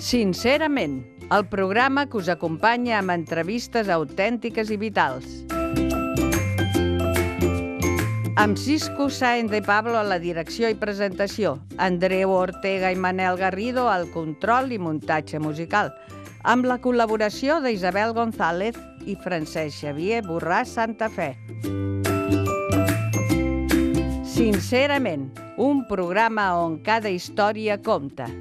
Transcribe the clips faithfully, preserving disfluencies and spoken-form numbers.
Sincerament, el programa que us acompanya amb entrevistes autèntiques i vitals. Amb Cisco Sáenz de Pablo a la direcció i presentació, Andreu Ortega i Manel Garrido al control i muntatge musical, amb la col·laboració d'Isabel González i Francesc Xavier Borràs Santa Fe. Sincerament, un programa on cada història compta.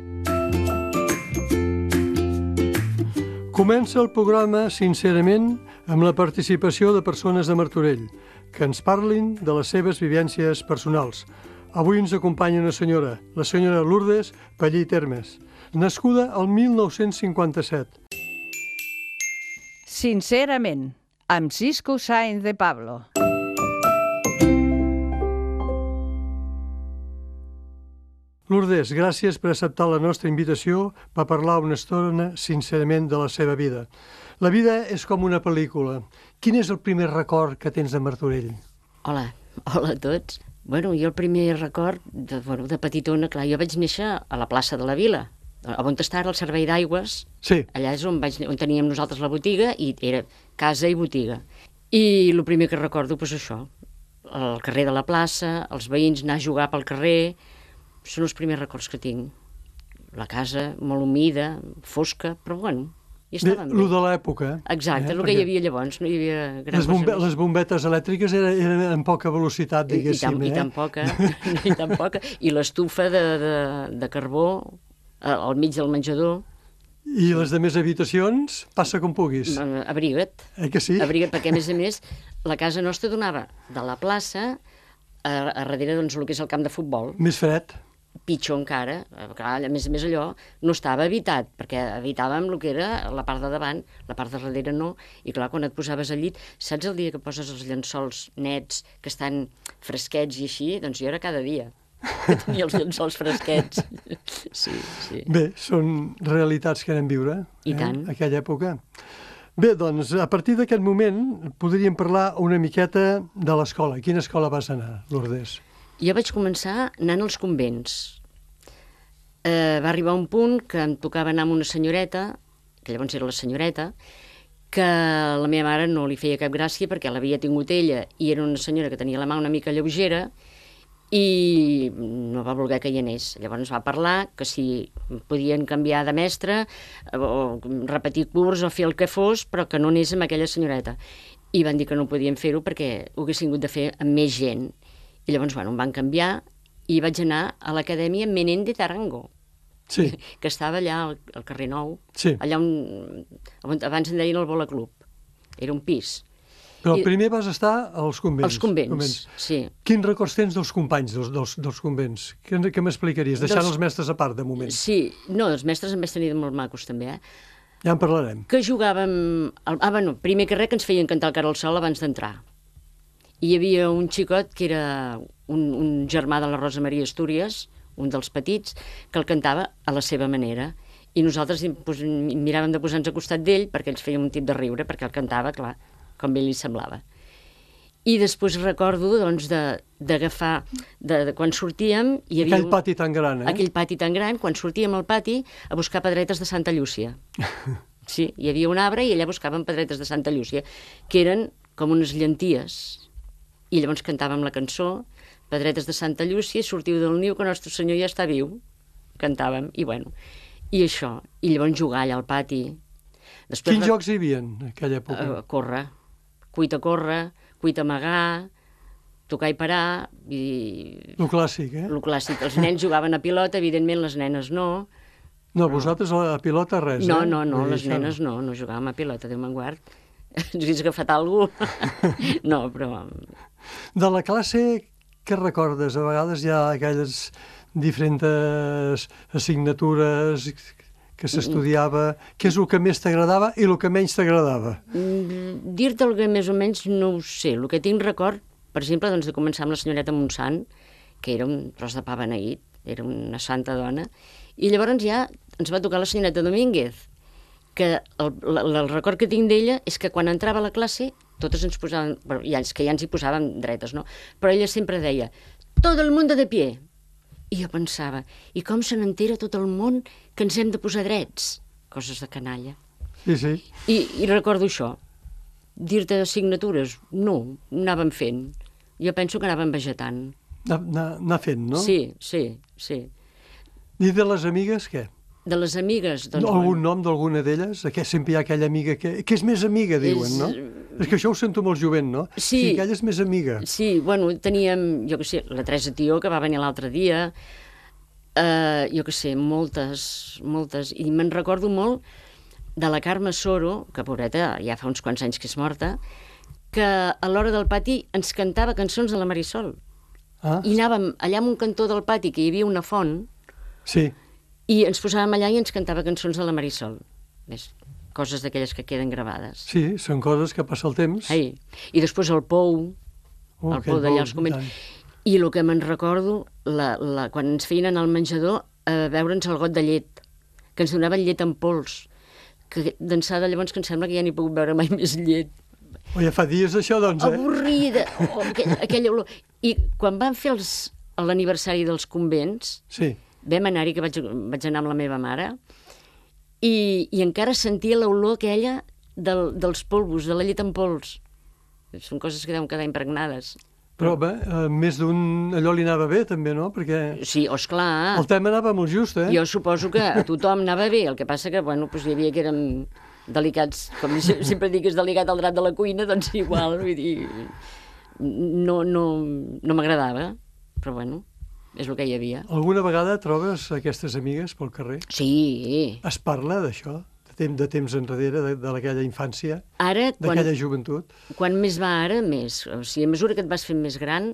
Comença el programa, sincerament, amb la participació de persones de Martorell, que ens parlin de les seves vivències personals. Avui ens acompanya una senyora, la senyora Lourdes Pallí Termes, nascuda el mil nou-cents cinquanta-set. Sincerament, amb Cisco Sáenz de Pablo. Lourdes, gràcies per acceptar la nostra invitació per parlar una estona, sincerament, de la seva vida. La vida és com una pel·lícula. Quin és el primer record que tens de Martorell? Hola, hola a tots. Bueno, jo el primer record, de, bueno, de petitona, clar, jo vaig néixer a la plaça de la Vila, on està ara el servei d'aigües. Sí. Allà és on, vaig, on teníem nosaltres la botiga, i era casa i botiga. I el primer que recordo, doncs això, el carrer de la plaça, els veïns anar a jugar pel carrer. Són els primers records que tinc. La casa molt humida, fosca, però bueno, hi estàvem bé. Lo de l'època. Exacte, eh? el que hi havia llavors, no hi havia gran les, bombe cosa més. Les bombetes elèctriques eren, eren en poca velocitat, diguéssim. I, i, tan, eh? i tan poca, i tan poca. I l'estufa de, de, de carbó al mig del menjador. I les de més habitacions, passa com puguis. Abriga't. Eh que sí? Abriga't, perquè a més a més la casa nostra donava de la plaça a, a darrere, doncs, el que és el camp de futbol. Més fred. Pitjor encara, clar, a més a més allò no estava habitat, perquè habitàvem el que era la part de davant, la part de darrere no, i clar, quan et posaves al llit, saps el dia que poses els llençols nets, que estan fresquets i així? Doncs jo era cada dia que tenia els llençols fresquets. Sí, sí. Bé, són realitats que anem viure, I eh? tant. Aquella època. Bé, doncs, a partir d'aquest moment podríem parlar una miqueta de l'escola. A quina escola vas anar, Lourdes? Jo vaig començar anant als convents. Eh, va arribar un punt que em tocava anar amb una senyoreta, que llavors era la senyoreta, que a la meva mare no li feia cap gràcia perquè l'havia tingut ella i era una senyora que tenia la mà una mica lleugera i no va voler que hi anés. Llavors va parlar que si podien canviar de mestre o repetir curs o fer el que fos, però que no anés amb aquella senyoreta. I van dir que no podien fer-ho perquè ho haguessin hagut de fer amb més gent. I llavors, bueno, em van canviar i vaig anar a l'acadèmia Menéndez Arango, sí. que estava allà al, al carrer Nou, sí. allà on, on abans en deien el Bola Club. Era un pis. Però I, primer vas estar als convents. als convents, convents. Sí. Quins records tens dels companys dels, dels, dels convents? Què, què m'explicaries? Deixant dels... els mestres a part, de moment. Sí, no, els mestres en vaig tenir molt macos, també, eh? Ja en parlarem. Que jugàvem... Ah, bueno, primer que res que ens feien cantar el Cara al Sol abans d'entrar. I hi havia un xicot que era un, un germà de la Rosa Maria Astúries, un dels petits, que el cantava a la seva manera. I nosaltres pues, miràvem de posar-nos a costat d'ell perquè ells feien un tip de riure, perquè el cantava, clar, com bé li semblava. I després recordo, doncs, d'agafar, de, de quan sortíem... Hi havia aquell pati tan gran, eh? Aquell pati tan gran, quan sortíem al pati a buscar pedretes de Santa Llúcia. Sí, hi havia un arbre i allà buscàvem pedretes de Santa Llúcia, que eren com unes llenties. I llavors cantàvem la cançó, Pedretes de Santa Llúcia, sortiu del niu que el nostre senyor ja està viu. Cantàvem, i bueno, i això. I llavors jugar allà al pati. Després, quins jocs hi havia en aquella època? Uh, córrer, cuita córrer, cuita amagar, tocar i parar. I... Lo clàssic, eh? Lo clàssic. Els nens jugaven a pilota, evidentment les nenes no. No, vosaltres a pilota res, no, eh? No, no, no, les això... nenes no, no jugàvem a pilota, Déu me'n guard. Ens hagués agafat algú. No, però... De la classe, què recordes? A vegades hi ha aquelles diferents assignatures que s'estudiava. Què és el que més t'agradava i el que menys t'agradava? Dir-te el que més o menys no ho sé. El que tinc record, per exemple, doncs, de començar amb la senyoreta Montsant, que era un tros de pa beneït, era una santa dona, i llavors ja ens va tocar la senyoreta Domínguez, que el, el, el record que tinc d'ella és que quan entrava a la classe totes ens posaven, bueno, ja, que ja ens hi posàvem dretes, no? Però ella sempre deia, tot el mundo de pie, I jo pensava, i com se n'entera tot el món que ens hem de posar drets? Coses de canalla. Sí, sí. I, i recordo això. Dir-te assignatures, no, anàvem fent. Jo penso que anàvem vegetant. Anar, anar fent, no? Sí, sí, sí. I de les amigues, què? De les amigues, doncs... No, algun bueno, nom d'alguna d'elles? Aquest, sempre hi ha aquella amiga que, que és més amiga, diuen, És- no? És que això ho sento molt jovent, no? Sí. Sí, aquella és més amiga. Sí, bueno, teníem, jo què sé, la Teresa Tió, que va venir l'altre dia, eh, jo què sé, moltes, moltes, i me'n recordo molt de la Carme Soro, que pobreta, ja fa uns quants anys que és morta, que a l'hora del pati ens cantava cançons de la Marisol. Ah, I anàvem allà en un cantó del pati, que hi havia una font, sí. i ens posàvem allà i ens cantava cançons de la Marisol. Ves, coses d'aquelles que queden gravades. Sí, són coses que passa el temps. Ai. I després el Pou, Oh, el aquell Pou d'allà Pou, als i convents. tant. I el que me'n recordo, la, la, quan ens feien anar al menjador a beure'ns el got de llet, que ens donaven llet en pols, que d'ençada llavors que em sembla que ja n'hi he pogut beure mai més llet. Oh, ja fa dies això, doncs, eh? Avorrida! Oh, aquell, aquella olor. I quan van fer els, l'aniversari dels convents, Sí. vam anar-hi, que vaig, vaig anar amb la meva mare, i, i encara sentia l'olor aquella del, dels polvos, de la llet en pols. Són coses que deuen quedar impregnades. Però bé, eh, més d'un allò li anava bé, també, no? Perquè Sí, oh, esclar. el tema anava molt just, eh? Jo suposo que a tothom anava bé, el que passa que, bueno, doncs hi havia que érem delicats, com se- sempre dic que és delicat el drap de la cuina, doncs igual, vull dir, no, no, no m'agradava, però bueno, és el que hi havia. Alguna vegada trobes aquestes amigues pel carrer? Sí, Es parla d'això, de, temps, de temps enrere, de, de aquella infància, ara, quan, d'aquella joventut? quan més va ara, més. O sigui, a mesura que et vas fent més gran,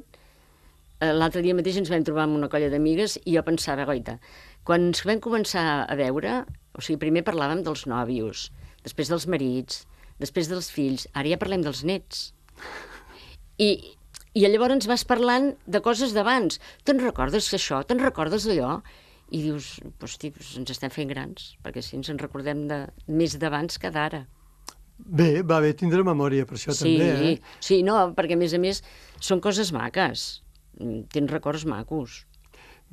eh, l'altre dia mateix ens vam trobar amb una colla d'amigues i jo pensava, goita, quan ens vam començar a veure, o sigui, primer parlàvem dels nòvios, després dels marits, després dels fills, ara ja parlem dels nets. I, i llavors vas parlant de coses d'abans. Te'n recordes això? Te'n recordes d'allò? I dius, hosti, doncs ens estem fent grans, perquè si ens en recordem de, més d'abans que d'ara. Bé, va bé tindre memòria per això Sí, també, eh? sí, no, perquè a més a més són coses maques, Mm, tens records macos.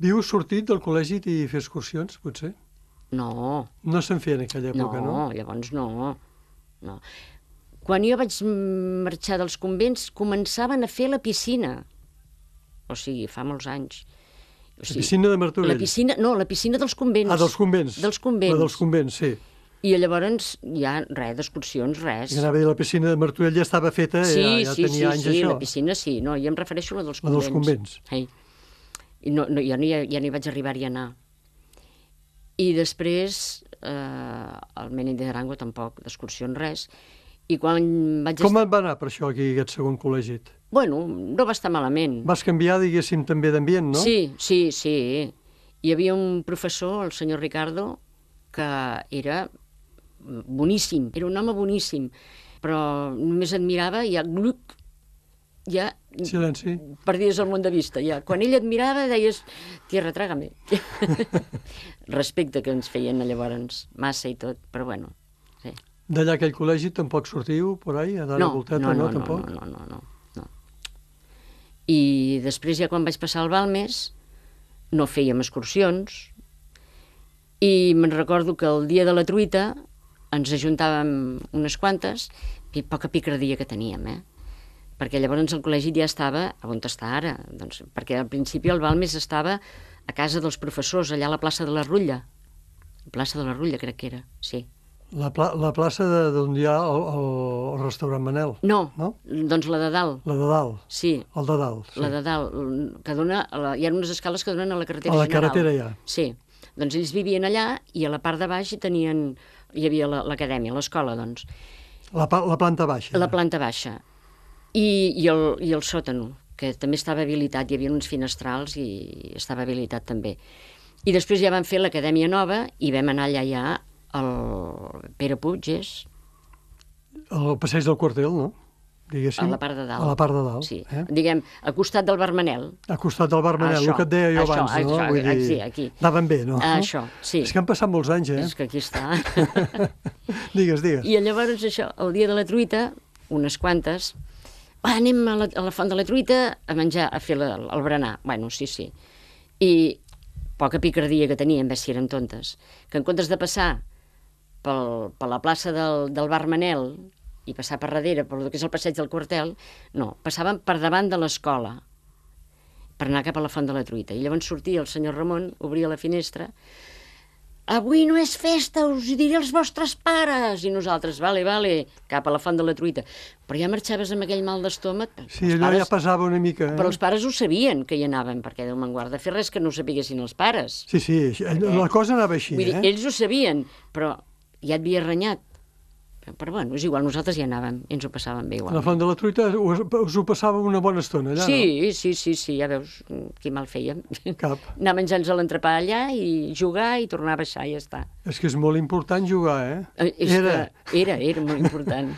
Vius sortit del col·legi i fer excursions, potser? No, No se'n feia en aquella no, època, no? llavors no, no. Quan jo vaig marxar dels convents, començaven a fer la piscina. O sigui, fa molts anys. O La piscina de Martorell. La piscina, no, la piscina dels convents. Ah, dels convents. Dels convents. La dels convents, sí. I llavors, ja, res, d'excursions, res. I anava a dir, la piscina de Martorell ja estava feta, Sí, ja, ja sí, sí, tenia anys sí, això. la piscina sí. No, jo em refereixo a la dels La convents. dels convents. Ei. I no, no, jo ni, ja ni vaig arribar-hi a anar. I després, eh, al Menin de Arango tampoc, d'excursions res. I quan vaig... Com estar... et va anar per això aquí, aquest segon col·legi? Bueno, no va estar malament. Vas canviar, diguéssim, també d'ambient, no? Sí, sí, sí. Hi havia un professor, el senyor Ricardo, que era boníssim, era un home boníssim, però només et mirava i ja, gluc, ja Silenci. perdies el món de vista. Ja. Quan ell et mirava deies, tierra, trágame. Respecte que ens feien llavors, massa i tot, però bueno. Sí. D'allà aquell col·legi tampoc sortiu, por ahí, a dar No, la volteta, no, no, no, no, tampoc? no, no, no, no. I després, ja quan vaig passar al Balmes, no fèiem excursions, i me'n recordo que el dia de la truita ens ajuntàvem unes quantes i poca picardia que teníem, eh? Perquè llavors el col·legi ja estava on està ara, doncs, perquè al principi el Balmes estava a casa dels professors, allà a la plaça de la Rutlla. La plaça de la Rutlla, crec que era, sí. La, pla la plaça de- d'on hi ha el, el, el restaurant Manel, No, no? doncs la de dalt, La de dalt, sí. el de dalt. Sí. La de dalt, que dona, a la, hi ha unes escales que donen a la carretera A la general. carretera ja. Sí, doncs ells vivien allà i a la part de baix hi tenien, hi havia la- l'acadèmia, l'escola, doncs, La, pa- la planta baixa. la planta baixa. I, i, el, i el sòtano, que també estava habilitat, hi havia uns finestrals i estava habilitat també. I després ja van fer l'acadèmia nova i vam anar allà ja al Pere Puig, és, El passeig del quartel, no? Diguéssim. a la part de dalt. A la part de dalt. Sí, Eh? diguem, al costat del Bar Manel. A costat del Bar Manel, Això, el que et deia jo això, abans, no? això, Vull dir, sí, aquí. anaven bé, no? Això, sí. És que han passat molts anys, eh? És que aquí està. Digues, digues. I llavors això, el dia de la truita, unes quantes, va, anem a la, a la font de la truita a menjar, a fer la, el berenar. Bueno, sí, sí. I poca picardia que tenien, ves si eren tontes, que en comptes de passar pel, per la plaça del, del Bar Manel i passar per darrere, per el que és el passeig del Quartel, no, passaven per davant de l'escola, per anar cap a la Font de la Truita. I llavors sortia el senyor Ramon, obria la finestra, avui no és festa, us hi diré els vostres pares. I nosaltres, vale, vale, cap a la Font de la Truita. Però ja marxaves amb aquell mal d'estómac. Sí, allò pares, ja pesava una mica. Eh? Però els pares ho sabien, que hi anàvem, perquè Déu me'n guarda, fer res que no ho sapiguessin els pares. Sí, sí, perquè, la cosa anava així. Vull dir, eh? ells ho sabien, però ja et havia renyat. Però bueno, és igual, nosaltres ja anàvem i ens ho passàvem bé igual. A la Font de la Truita us, us ho passàvem una bona estona allà, sí, no? Sí, sí, sí, ja veus qui mal fèiem. Cap. Anar menjant-nos l'entrepà allà i jugar i tornar a baixar i ja està. És que és molt important jugar, eh? eh és era. Que era, era molt important.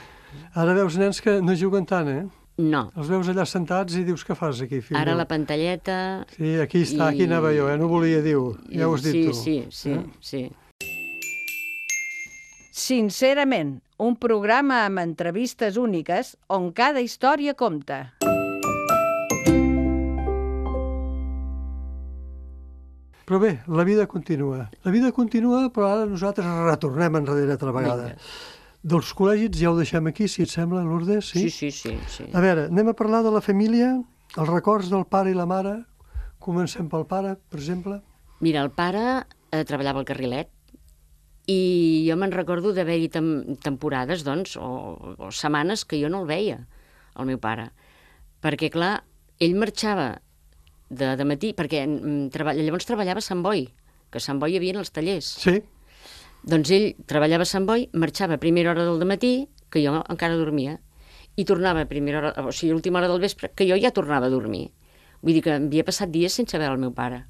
Ara veus nens que no juguen tant, eh? No. Els veus allà sentats i dius, què fas aquí, fill? Ara la pantalleta... Sí, aquí està, i... aquí anava jo, eh? No volia dir-ho, ja ho has dit sí, tu. Sí, sí, eh? sí. Sincerament, un programa amb entrevistes úniques on cada història compta. Però bé, la vida continua. La vida continua, però ara nosaltres retornem enrere altra vegada. Vinga. Dels col·legis ja ho deixem aquí, si et sembla, Lourdes? Sí, sí, sí, sí. A veure, anem a parlar de la família, els records del pare i la mare. Comencem pel pare, per exemple. Mira, el pare eh, treballava al Carrilet i jo me'n recordo d'haver-hi tem temporades, doncs, o, o setmanes que jo no el veia, el meu pare. Perquè, clar, ell marxava de, de matí, perquè mm, treball, llavors treballava a Sant Boi, que a Sant Boi hi havia els tallers. Sí. Doncs ell treballava a Sant Boi, marxava a primera hora del matí, que jo encara dormia, i tornava a primera hora, o sigui, a última hora del vespre, que jo ja tornava a dormir. Vull dir que havia passat dies sense veure el meu pare.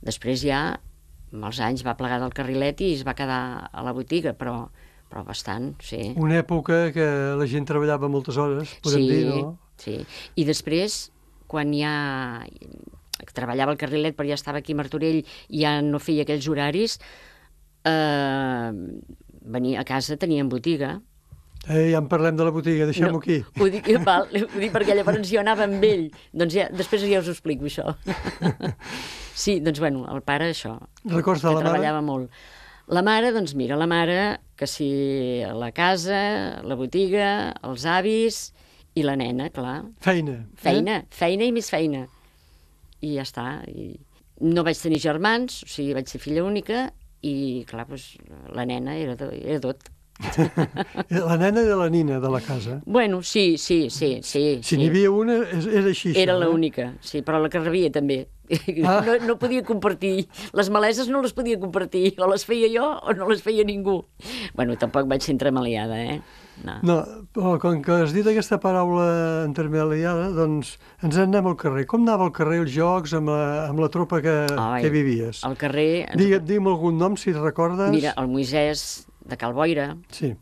Després ja, amb els anys, va plegar del Carrilet i es va quedar a la botiga, però, però bastant, sí. Una època que la gent treballava moltes hores, podem sí, dir, no? Sí, i després, quan ja treballava al Carrilet, però ja estava aquí a Martorell i ja no feia aquells horaris, eh, venia a casa, tenien botiga. Eh, ja en parlem de la botiga, deixem-ho no, aquí. Ho dic, val, ho dic perquè llavors jo anava amb ell. Doncs ja, després ja us ho explico, això. Sí, doncs bueno, el pare, això. Records de la mare? Treballava molt. La mare, doncs mira, la mare, que si la casa, la botiga, els avis i la nena, clar. Feina. Feina, eh? feina i més feina. I ja està. I no vaig tenir germans, o sigui, vaig ser filla única i, clar, doncs, la nena era, era tot. La nena era la nina de la casa. Bueno, sí, sí, sí. sí si n'hi sí. havia una, era així. Era això, l'única, eh? Sí, però la que rebia també. Ah. No, no podia compartir. Les maleses no les podia compartir. O les feia jo o no les feia ningú. Bueno, tampoc vaig ser entremaliada, eh? No. No, però com que has dit aquesta paraula entremaliada, doncs ens en anem al carrer. Com anava al carrer els jocs amb la, amb la tropa que, Ai, que vivies? Al carrer... Digue, digue'm algun nom, si et recordes. Mira, el Moisès de Cal Boira, sí.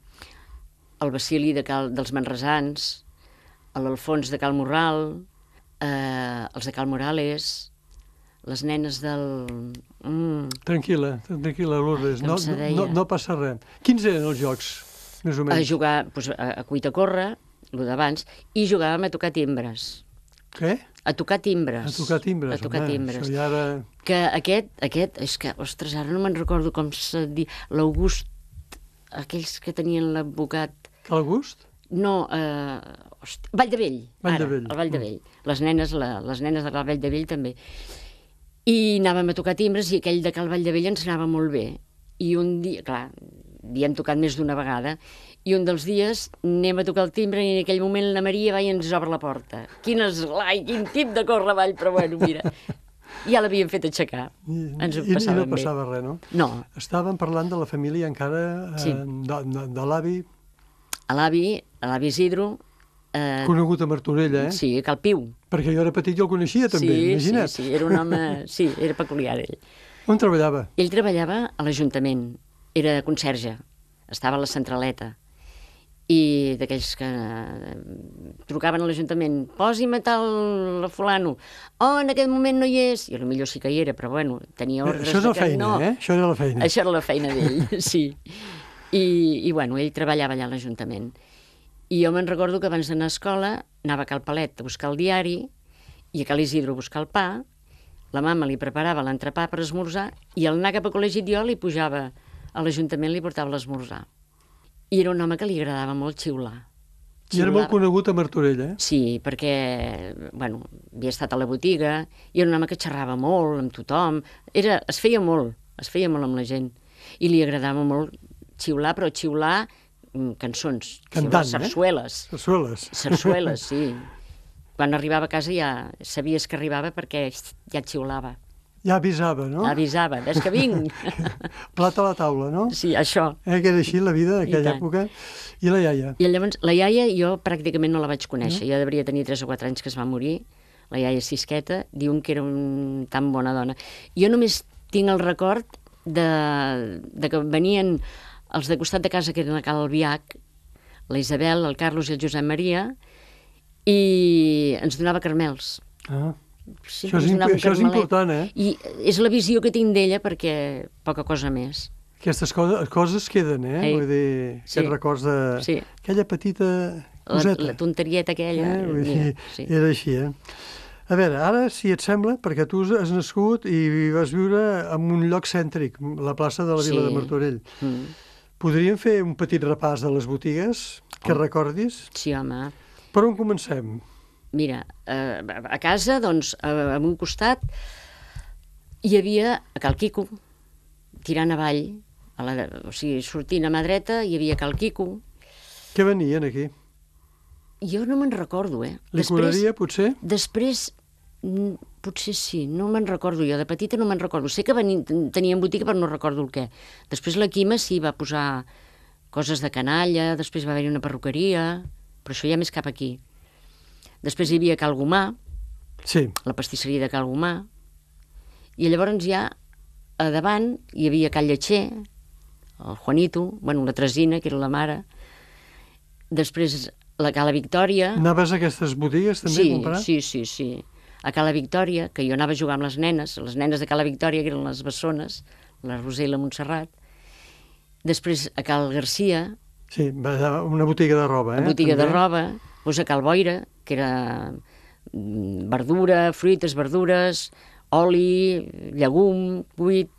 El Basili de Cal, dels Manresans, l'Alfons de Cal Morral, eh, els de Cal Morales, les nenes del... Mm. Tranquil·la, tranquil·la, Lourdes, no, no, no, no passa res. Quins eren els jocs, més o menys? A jugar doncs, a, a cuita córrer, el d'abans, i jugàvem a tocar timbres. Què? A tocar timbres. A tocar timbres, a tocar home, timbres. això ja ara... Que aquest, aquest, és que, ostres, ara no me'n recordo com se diu, l'August, aquells que tenien l'advocat... Cal Gust? No, eh, hosti, Valldevell. Vall de Vell. El Valldevell. Les nenes, la, les nenes de Cal Valldevell també. I anàvem a tocar timbres i aquell de Cal Valldevell ens anava molt bé. I un dia, clar, havíem tocat més d'una vegada, i un dels dies anem a tocar el timbre i en aquell moment la Maria va i ens obre la porta. Quin esglai, quin tip de córrer avall, però bueno, mira... Ja l'havíem fet aixecar. I, ens ho i, i no bé. passava res, no? No. Estàvem parlant de la família encara, eh, Sí. de, de, de l'avi, A l'avi, a l'avi Isidro... Eh, conegut a Martorell, eh? sí, a Cal Piu. Perquè jo era petit i el coneixia també, sí, imagina't. Sí, sí, era un home... Sí, era peculiar, ell. On treballava? Ell treballava a l'Ajuntament, era conserge, estava a la centraleta, i d'aquells que trucaven a l'Ajuntament, posi'm a tal fulano, oh, en aquest moment no hi és, i potser sí que hi era, però bueno, tenia ordres... Això és la que feina, no. eh? Això era la feina. Això era la feina d'ell, sí. I, I bueno, ell treballava allà a l'Ajuntament. I jo me'n recordo que abans d'anar a escola anava a Cal Palet a buscar el diari i a Cal Isidro a buscar el pa, la mama li preparava l'entrepà per esmorzar i al anar cap a col·legi jo li pujava a l'Ajuntament, li portava l'esmorzar. I era un home que li agradava molt xiular. I era molt conegut a Martorell, eh? Sí, perquè, bueno, havia estat a la botiga, i era un home que xerrava molt amb tothom, era, es feia molt, es feia molt amb la gent, i li agradava molt xiular, però xiular mm, cançons, Cantant, xiular sarsueles. Eh? Sarsueles. Sarsueles, sí. Quan arribava a casa ja sabies que arribava perquè ja xiulava. Ja avisava, no? Avisava, ves que vinc. Plat a la taula, no? Sí, això. Eh, que era així la vida d'aquella època. I la iaia? I llavors, la iaia jo pràcticament no la vaig conèixer. No? Jo devia tenir tres o quatre anys que es va morir. La iaia Sisqueta, diuen que era un, tan bona dona. Jo només tinc el record de, de que venien els de costat de casa, que eren a Cal Albiach, la Isabel, el Carlos i el Josep Maria, i ens donava caramels. Ah. Sí, això és, imp això és important, eh? I és la visió que tinc d'ella perquè poca cosa més. Aquestes coses, coses queden, eh? Ei. Vull dir, Sí. aquests records de... Sí. Aquella petita La, coseta. la tonterieta aquella. Eh? Vull dir, mira, sí. era així, eh? A veure, ara, si et sembla, perquè tu has nascut i vas viure en un lloc cèntric, la plaça de la Vila Sí. de Martorell. Mm. Podríem fer un petit repàs de les botigues que Oh. recordis? Sí, home. Per on comencem? Mira, eh, a casa, doncs, a, a un costat, hi havia a Cal Quico, tirant avall, a la, o sigui, sortint a mà dreta, hi havia Cal Quico. Què venien aquí? Jo no me'n recordo, eh? Licoreria, potser? Després, mm, potser sí, no me'n recordo jo, de petita no me'n recordo. Sé que venien, tenien botiga, però no recordo el què. Després la Quima sí va posar coses de canalla, després va haver-hi una perruqueria, però això ja més cap aquí. Després hi havia Cal Gomà, Sí. la pastisseria de Cal Gomà, i llavors ja a davant hi havia Cal Lletxer, el Juanito, bueno, la Tresina, que era la mare, després la Cala Victòria... Anaves a aquestes botigues també sí, a comprar? Sí, sí, sí. A Cala Victòria, que jo anava a jugar amb les nenes, les nenes de Cala Victòria, que eren les bessones, la Roser i la Montserrat. Després a Cal Garcia, Sí, una botiga de roba, eh? una botiga també. de roba, doncs a Cal Boira, que era mm, verdura, fruites, verdures, oli, llegum, cuit.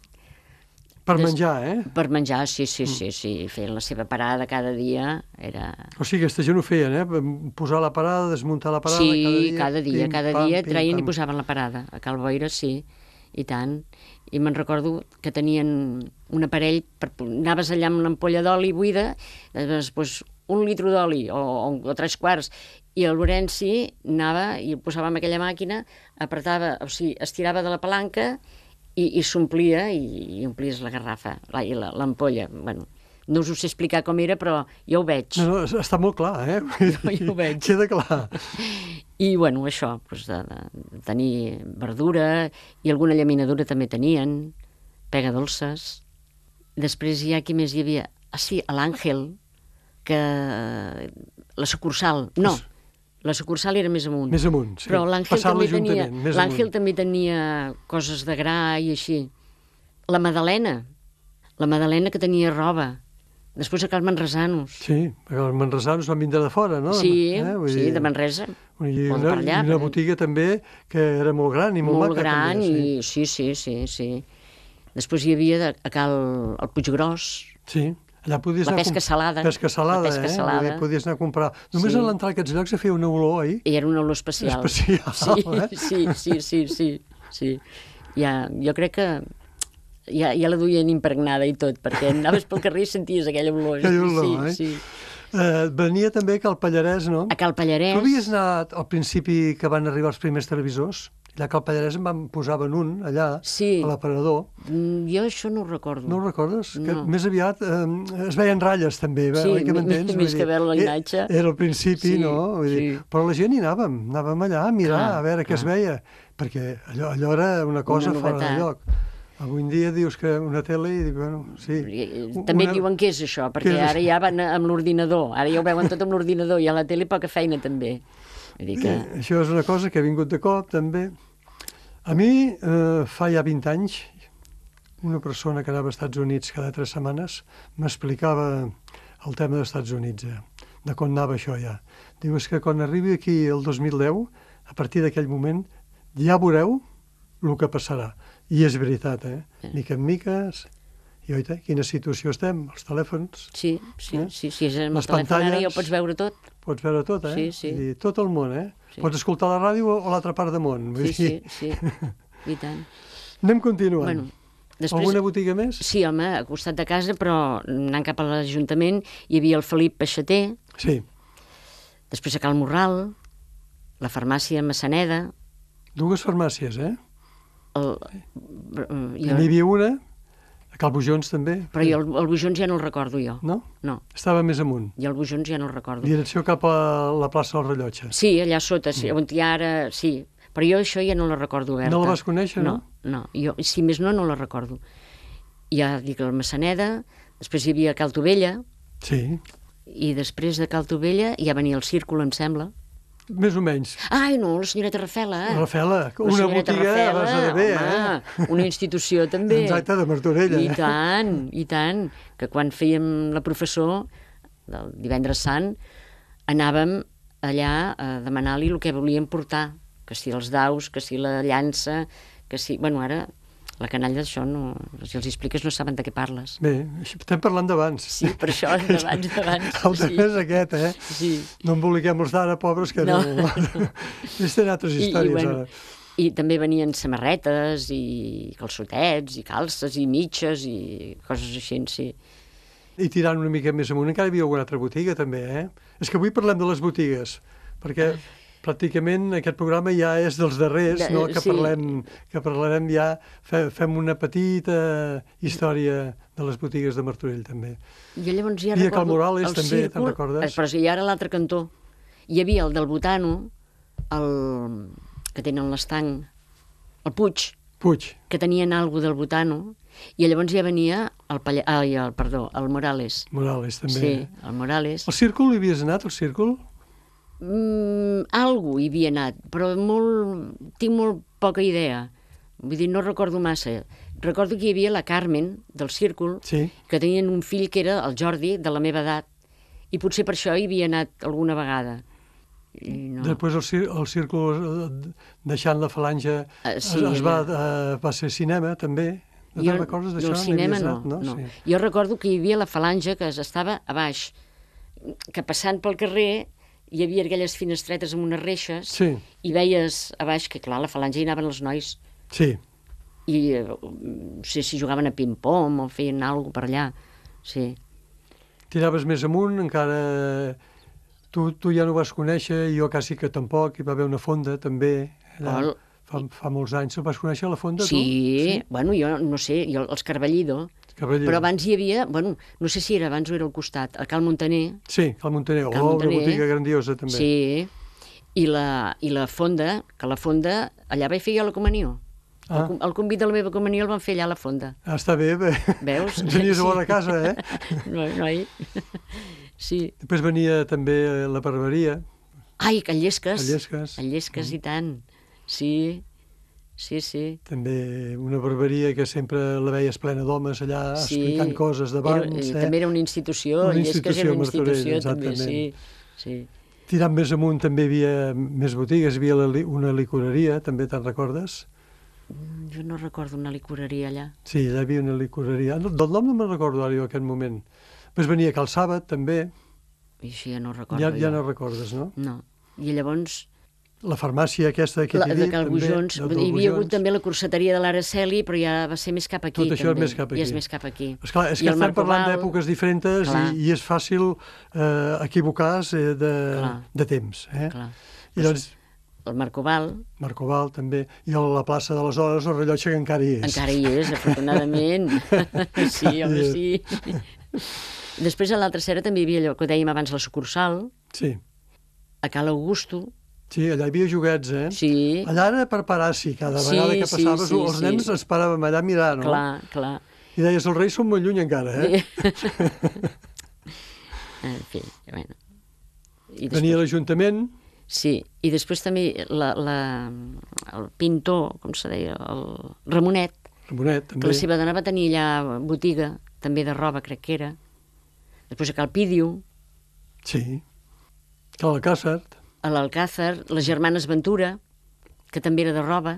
Per Des- menjar, eh? Per menjar, sí, sí, sí, sí. Feien la seva parada cada dia. Era... O sigui, aquesta gent ho feien, eh? Posar la parada, desmuntar la parada... Sí, cada dia, cada dia, pim, cada pam, dia pim, traien i pam. posaven la parada. A Cal Boira, sí, i tant. I me'n recordo que tenien un aparell, per, anaves allà amb l'ampolla d'oli buida, després un litro d'oli o, o, o tres quarts, i el Lorenzi anava i ho posava en aquella màquina, apretava, o sigui, estirava de la palanca i, i s'omplia i, i omplies la garrafa, la- i la- l'ampolla. Bueno, no us ho sé explicar com era, però jo ho veig. No, no, està molt clar, eh? Jo, jo ho veig. Queda clar. I, bueno, això, doncs, de, de tenir verdura i alguna llaminadura també tenien, pega dolces. Després hi ha qui més hi havia? Ah, sí, a l'Àngel, que... la sucursal, no, la sucursal era més amunt. Més amunt, sí. Però l'Àngel Passant també, tenia, l'Ajuntament, més l'Àngel amunt. també tenia coses de gra i així. La Madalena, la Madalena que tenia roba. Després a Cal Manresanos. Sí, perquè els manresanos van vindre de fora, no? Sí, Vull sí, dir, de Manresa. I o de una, per allà, i una perquè- botiga també que era molt gran i molt, molt maca. gran també, i sí, sí, sí, sí. Després hi havia de, a Cal el Puiggròs, Sí, allà podies la anar a pesca comp- salada. Pesca salada, La pesca eh? salada. Vull dir, podies anar a comprar. Només Sí. a l'entrar a aquests llocs se feia una olor, oi? i era una olor especial. Especial, sí, eh? sí, sí, sí, sí, sí. Ja, jo crec que ja, ja la duien impregnada i tot, perquè anaves pel carrer i senties aquella olor. Aquella olor, sí, eh? sí. Eh, venia també Cal Pallarès, no? A Cal Pallarès. Tu havies anat al principi que van arribar els primers televisors? Allà a Cal Pallarès en van posaven un, allà, Sí. a l'aparador. Mm, Jo això no ho recordo. No ho recordes? Que No. més aviat eh, es veien ratlles, també, Sí, oi que mi- m'entens? més Vull que dir, veure la eh, imatge. Era al principi, Sí, no? Vull dir, sí. però la gent hi anàvem, anàvem allà a mirar, Clar, a veure què es clar. veia, perquè allò, allò era una cosa Una fora de novetat. lloc. Avui en dia dius que una tele i dic, bueno, sí. Eh, També una... diuen què és això, Què perquè és ara ja van amb l'ordinador, ara ja ho veuen tot amb l'ordinador, i a la tele poca feina també. Vull dir que... Eh, Això és una cosa que ha vingut de cop, també. A mi, eh, fa ja vint anys, una persona que anava als Estats Units cada tres setmanes m'explicava el tema dels Estats Units, eh, de com anava això ja. Diu, és que quan arribi aquí el dos mil deu, a partir d'aquell moment, ja veureu el que passarà. I és veritat, eh? Mica en mica, i oita, quina situació estem, els telèfons. Sí, sí, eh? sí, sí, és amb Les el telèfon ara pantalles. ja ho pots veure tot. Pots veure tot, eh? Sí, sí. I tot el món, eh? Sí. Pots escoltar la ràdio o l'altra part del món. Vull Sí, dir... sí, sí, i tant. Anem continuant. Bueno, després... Alguna botiga més? Sí, home, a costat de casa, però anant cap a l'Ajuntament hi havia el Felip Peixater, Sí. després a Cal Morral, la farmàcia Massaneda, Dues farmàcies, eh? el... N'hi jo... havia una, a Cal Bujons també. Però jo el, el Bujons ja no el recordo jo. No? No, Estava més amunt. i el Bujons ja no el recordo. Direcció cap a la plaça del Rellotge. Sí, allà sota, sí, on hi ha ara, sí. Però jo això ja no la recordo oberta. No la vas conèixer, no? No, no. Jo, si més no, no la recordo. Ja dic el Massaneda, després hi havia Cal Tovella, Sí. i després de Cal Tovella ja venia el Círcul, em sembla. Més o menys. Ai, no, la senyoreta Rafela, eh? Rafela, La una senyoreta botiga a Rafela, base de bé, home, eh? una institució també. Exacte, de Martorella. I tant, i tant, que quan fèiem la professor, del divendres sant, anàvem allà a demanar-li el que volíem portar, que si els daus, que si la llança, que si... Bueno, ara la canalla d'això, no, si els expliques no saben de què parles. Bé, estem parlant d'abans. Sí, per això, d'abans, d'abans. El sí. tema és aquest, eh? Sí. No emboliquem els d'ara, pobres, que no... No. Ells tenen altres I, i, històries, bueno, ara. I també venien samarretes i calçotets i calces i mitges i coses així, sí. I tirant una mica més amunt, encara hi havia alguna altra botiga, també, eh? És que avui parlem de les botigues, perquè pràcticament aquest programa ja és dels darrers, De- no? Que, sí. parlem, que parlarem ja, fe, fem una petita història de les botigues de Martorell, també. Jo llavors ja I a recordo... Cal Morales el també, te'n círcul, recordes? eh, Però si ja era l'altre cantó. Hi havia el del Botano, el que tenen l'estanc, el Puig, Puig, que tenien algo del Botano, i llavors ja venia el, Palla... Ai, el perdó, el Morales. Morales, també. Sí, el Morales. El Círcul, hi havies anat, al Círcul? Mm, algú hi havia anat, però molt, tinc molt poca idea. Vull dir, no recordo massa. Recordo que hi havia la Carmen, del Círcul, Sí. que tenien un fill que era el Jordi, de la meva edat, i potser per això hi havia anat alguna vegada. I no. Després el, cir el Círcul, eh, deixant la falange, Ah, sí, es, es va, era- eh, va ser cinema, també. No Jo- te'n recordes d'això? del No hi cinema havies no, anat, no. Sí. Jo recordo que hi havia la falange que estava a baix, que passant pel carrer hi havia aquelles finestretes amb unes reixes Sí, i veies a baix que, clar, a la falange hi anaven els nois sí. i eh, no sé si jugaven a ping-pong o feien alguna cosa per allà. Sí. Tiraves més amunt, encara... Tu, tu ja no ho vas conèixer, jo quasi que tampoc, hi va haver una fonda, també, allà, El- fa, fa molts anys. Vas conèixer la fonda, Sí, tu? bueno, jo no sé, jo, els Carballido, Cavaller. però abans hi havia, bueno, no sé si era abans o era al costat, el Cal Montaner, Sí, Cal Montaner. Cal Oh, Montaner. una botiga grandiosa, també. sí, i la, i la fonda, que la fonda, allà vaig fer jo la comunió. Ah. El, com- el convit de la meva comunió el van fer allà a la fonda. Ah, està bé, bé. Veus? Ens anies a Sí. bona casa, eh? No, noi. Sí. Després venia també la barberia, Ai, que Llesques. a Llesques. A Llesques, i tant. Sí, sí, sí. També una barberia que sempre la veies plena d'homes allà, Sí. explicant coses Era, d'abans. eh, eh? També era una institució, Una Llesques era institució, una institució, Martorell, també, sí. exactament. sí. Tirant més amunt també hi havia més botigues, hi havia la, li- una licoreria, també te'n recordes? Mm, Jo no recordo una licoreria allà. Sí, allà hi havia una licoreria. No, del nom no me'n recordo ara jo en aquest moment. Després venia Cal Sàbat, també. I això ja no recordo Ja, ja jo. no recordes, no? No. I llavors, La farmàcia aquesta que la, t'he de dit, Cal també. Bujons, del- hi del havia hagut Bujons. també la corseteria de l'Araceli, però ja va ser més cap aquí, Tot això és també. més cap I és aquí. més cap aquí. Esclar, és I que el estem parlant Marcoval- d'èpoques diferents Clar. i, i és fàcil eh, equivocar-se eh, de, Clar. de temps. Eh? Clar. I doncs, El Marcoval Marcoval també, i a la plaça de les Hores el rellotge que encara hi és. encara hi és, afortunadament. Sí, home, sí. Després a l'altra cera també hi havia allò que dèiem abans, la sucursal, Sí, a Cal Augusto. sí, allà hi havia joguets, eh? Sí, Allà era per parar-s'hi, cada Sí, vegada que sí, passaves, sí, els sí. nens ens paràvem allà a mirar, no? clar, clar. I deies, els reis són molt lluny encara, eh? En fi, bueno. I Venia l'Ajuntament, Sí, i després també la, la, el pintor, com se deia, el Ramonet, Ramonet, que també. la seva dona va tenir allà botiga, també de roba, crec que era. Després a Cal Pídio, Sí. Cal Alcàsser. a l'Alcàsser, les germanes Ventura, que també era de roba.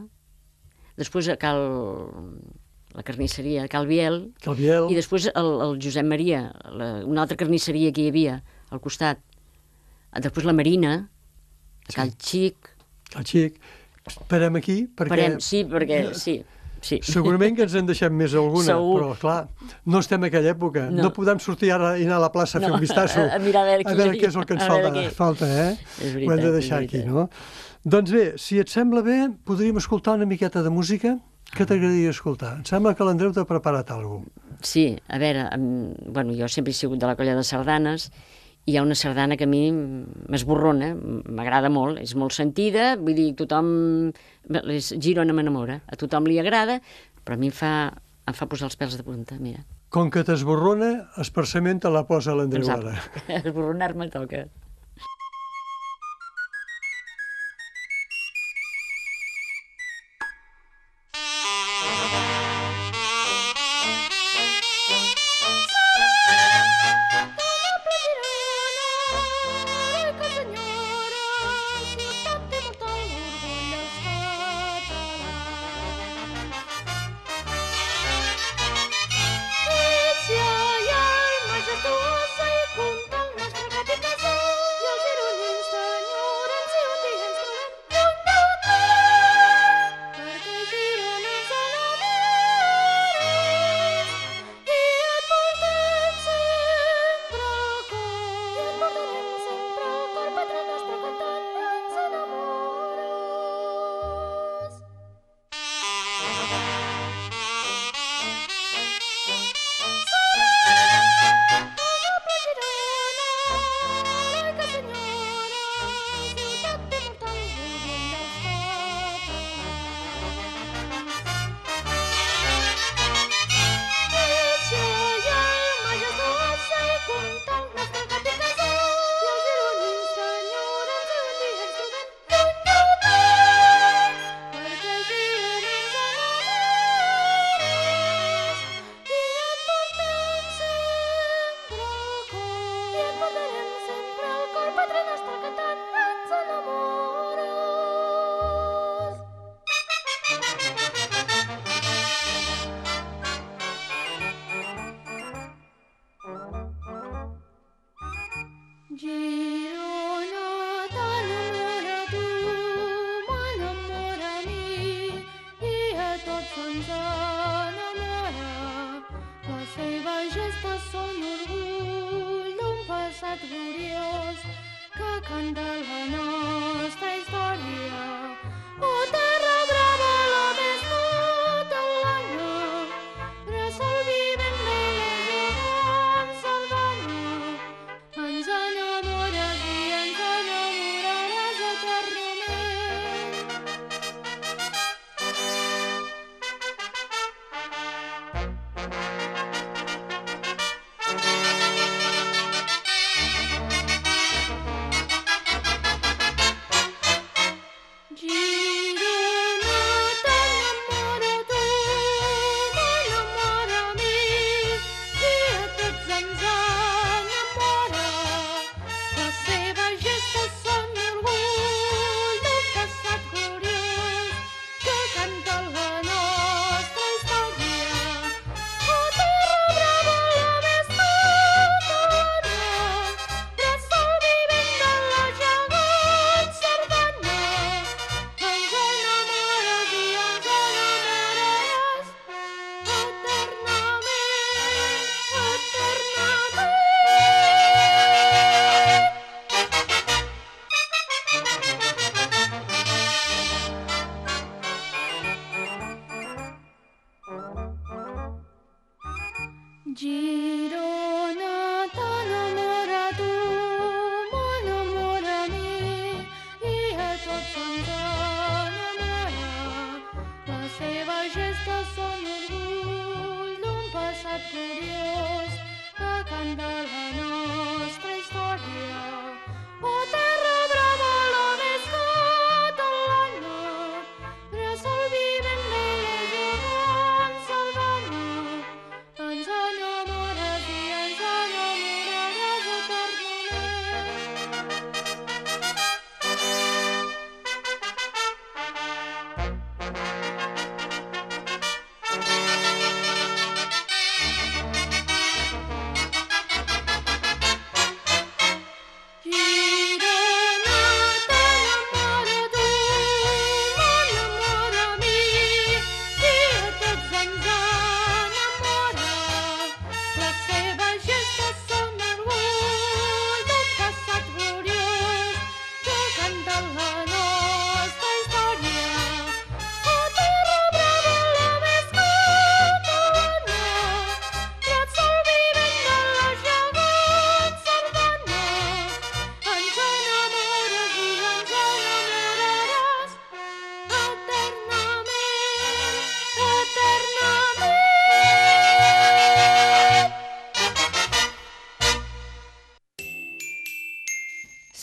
després a Cal... la carnisseria de Cal Biel, Cal Biel. I després el, el Josep Maria, la, una altra carnisseria que hi havia al costat. Després la Marina, a Cal Xic. Cal Xic. Parem aquí, perquè... Parem, sí, perquè... Sí, sí. Segurament que ens en deixem més alguna, Segur. però clar, no estem en aquella època. No, no podem sortir ara i anar a la plaça a no, fer un vistasso. A, a mirar a veure, a veure què és el que ens falta, què... falta, eh? És veritat, ho hem de deixar aquí, no? Doncs bé, si et sembla bé, podríem escoltar una miqueta de música. Què t'agradaria escoltar? Em sembla que l'Andreu t'ha preparat alguna cosa. Sí, a veure, um, bueno, jo sempre he sigut de la colla de sardanes, i hi ha una sardana que a mi m'esborrona, m'agrada molt, és molt sentida, vull dir, tothom... És Girona m'enamora, a tothom li agrada, però a mi em fa, em fa posar els pèls de punta, mira. Com que t'esborrona, esparçament te la posa l'Andreu ara. Esborronar-me toca.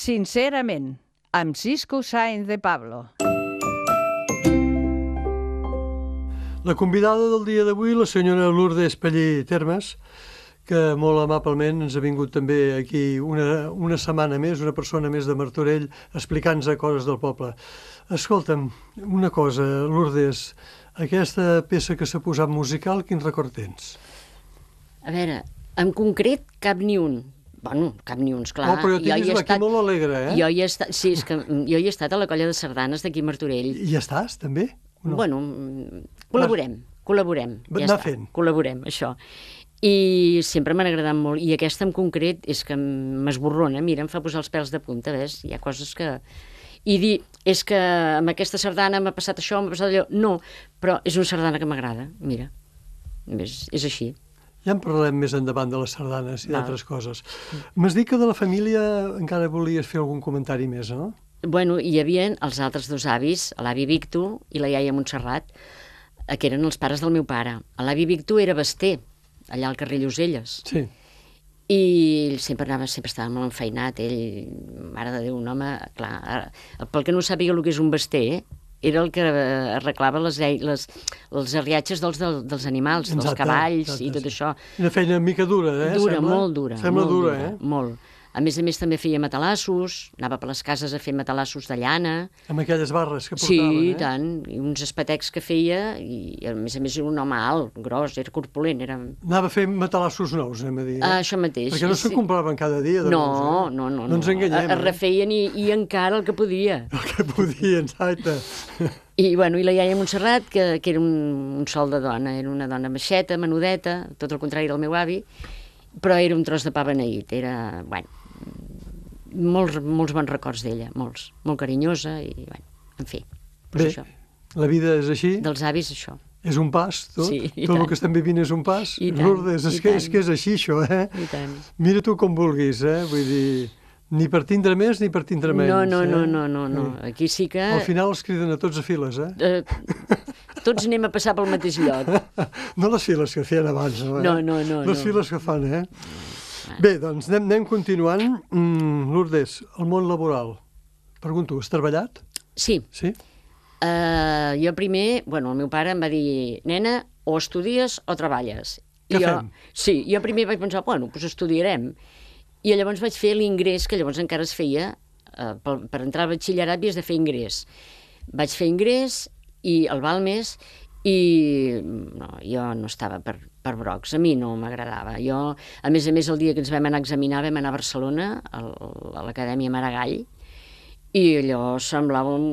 Sincerament, amb Cisco Sáenz de Pablo. La convidada del dia d'avui, la senyora Lourdes Pallí Termes, que molt amablement ens ha vingut també aquí una, una setmana més, una persona més de Martorell, explicant-nos coses del poble. Escolta'm, una cosa, Lourdes, aquesta peça que s'ha posat musical, quin record tens? A veure, en concret cap ni un. Bueno, cap ni un, esclar. Oh, però jo tinguis aquí estat... molt alegre, eh? Jo hi he estat, sí, és que jo hi he estat a la colla de sardanes d'aquí a Martorell. I ja estàs, també? No? Bueno, col·laborem, col·laborem. Ja Anar està, fent. Col·laborem, això. I sempre m'han agradat molt. I aquesta en concret és que m'esborrona, mira, em fa posar els pèls de punta, ves? Hi ha coses que... I dir, és que amb aquesta sardana m'ha passat això, m'ha passat allò... No, però és una sardana que m'agrada, mira. És, és així. Ja en parlarem més endavant de les sardanes i d'altres coses. M'has dit que de la família encara volies fer algun comentari més, no? Bueno, hi havia els altres dos avis, l'avi Victor i la iaia Montserrat, que eren els pares del meu pare. L'avi Victor era baster, allà al carrer Lloselles. Sí. I ell sempre anava, sempre estava molt enfeinat. Ell, mare de Déu, un home... Clar, pel que no sàpiga el que és un baster, era el que arreglava les, les, els arriatges dels, dels animals, exacte, dels cavalls exacte, i tot això. Una feina mica dura, eh? Dura, sembla? molt dura. Sembla molt dura, dura, eh? Molt. A més a més també feia matalassos, anava per les cases a fer matalassos de llana. Amb aquelles barres que portaven, sí, eh? Sí, tant, i uns espetecs que feia, i a més a més era un home alt, gros, era corpulent. Era... Anava a fer matalassos nous, anem a dir. Eh? Ah, això mateix. Perquè no sí. se'n compraven cada dia. De no, nous, eh? no, no, no. No ens enganyem. Es refeien i, i encara el que podia. El que podien, exacte. I, bueno, i la iaia Montserrat, que, que era un, un sol de dona, era una dona baixeta, menudeta, tot el contrari del meu avi, però era un tros de pa beneït, era, bueno, molts, molts bons records d'ella, molts, molt carinyosa i, bueno, en fi, doncs bé, això. La vida és així? Dels avis, això. És un pas, tot? Sí, tot tant. El que estem vivint és un pas? I tant, Lourdes, és, i que, tant. és que és així, això, eh? I tant. Mira tu com vulguis, eh? Vull dir, ni per tindre més ni per tindre menys. No, no, eh? no, no, no, no. Aquí sí que... Al final els criden a tots a files, eh? eh tots anem a passar pel mateix lloc. No les files que feien abans, no, eh? No, no, no. Les no. files que fan, eh? Bé, doncs anem, anem continuant. Mm, Lourdes, el món laboral. Pregunto, has treballat? Sí. Sí? Uh, jo primer, bueno, el meu pare em va dir, nena, o estudies o treballes. Què I jo, fem? Sí, jo primer vaig pensar, bueno, doncs estudiarem. I llavors vaig fer l'ingrés, que llavors encara es feia, uh, per, per entrar al batxillerat havies de fer ingrés. Vaig fer ingrés i el Balmes, i no, jo no estava per, per brocs, a mi no m'agradava. Jo, a més a més, el dia que ens vam anar a examinar vam anar a Barcelona, al, a l'Acadèmia Maragall, i allò semblava un,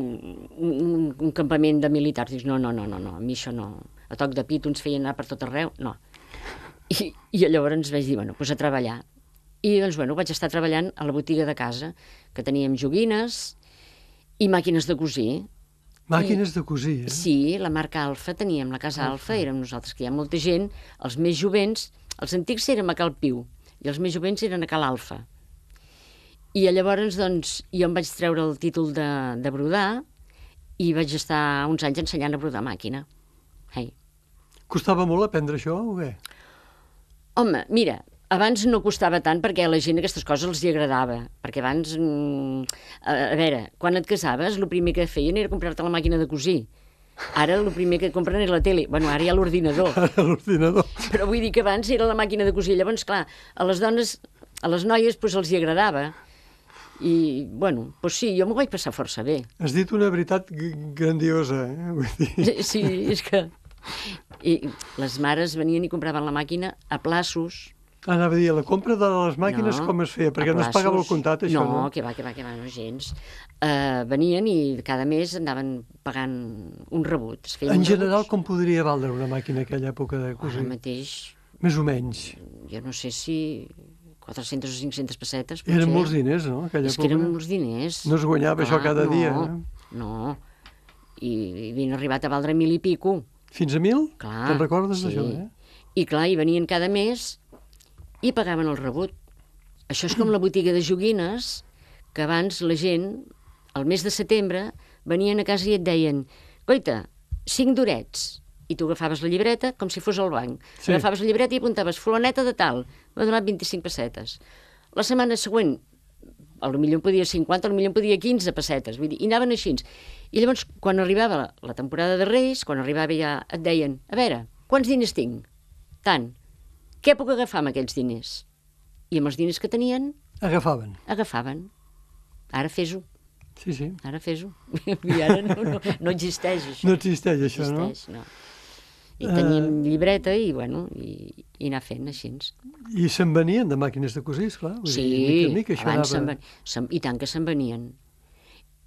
un, un campament de militars. Dius, no, no, no, no, no, a mi això no. A toc de pit ens feien anar per tot arreu, no. I, i llavors vaig dir, bueno, doncs a treballar. I doncs, bueno, vaig estar treballant a la botiga de casa, que teníem joguines i màquines de cosir. Màquines de cosir, eh? Sí, la marca Alfa, teníem la casa Alfa, érem nosaltres, que hi ha molta gent, els més jovents, els antics érem a Cal Piu, i els més jovents eren a Cal Alfa. I llavors, doncs, jo em vaig treure el títol de, de brodar i vaig estar uns anys ensenyant a brodar màquina. Hey. Costava molt aprendre això, o què? Home, mira, abans no costava tant perquè a la gent aquestes coses els hi agradava, perquè abans, mm, a, a veure, quan et casaves, el primer que feien era comprar-te la màquina de cosir. Ara el primer que compren és la tele. Bueno, ara hi ha l'ordinador. Ara l'ordinador. Però vull dir que abans era la màquina de cosir. Llavors, clar, a les dones, a les noies, doncs els hi agradava. I, bueno, doncs sí, jo m'ho vaig passar força bé. Has dit una veritat grandiosa, eh? Vull dir... Sí, és que... I les mares venien i compraven la màquina a plaços. Anava a dir, la compra de les màquines no, com es feia? Perquè no es pagava el comptat, això, no? No, que va, que va, que va, no, gens. Uh, venien i cada mes anaven pagant un rebut. En general, com podria valdre una màquina a aquella època de cosir? Ara mateix... Més o menys. Jo no sé si quatre-centes o cinc-centes pessetes. Eren molts diners, no? Aquella és època. Que eren molts diners. No es guanyava ah, això cada no, dia, eh? No, i, i havien arribat a valdre mil i pico. Fins a mil? Clar. Te'n recordes sí. d'això, eh? I clar, hi venien cada mes i pagaven el rebut. Això és com la botiga de joguines, que abans la gent, al mes de setembre, venien a casa i et deien, coita, cinc durets. I tu agafaves la llibreta com si fos al banc. Sí. Agafaves la llibreta i apuntaves fulaneta de tal. M'ha donat vint-i-cinc pessetes. La setmana següent potser en podia cinquanta, potser en podia quinze pessetes, vull dir, i anaven així. I llavors, quan arribava la, la temporada de Reis, quan arribava ja et deien, a veure, quants diners tinc? Tant. Què puc agafar amb aquells diners? I amb els diners que tenien... Agafaven. Agafaven. Ara fes-ho. Sí, sí. Ara fes-ho. I ara no, no, no existeix, això. No existeix, això, no? Existeix, no? I teníem uh... llibreta i, bueno, i, i anar fent així. I se'n venien de màquines de cosir, esclar? Vull sí, dir, mica, mica, abans se'n anava... ven... se... i tant que se'n venien.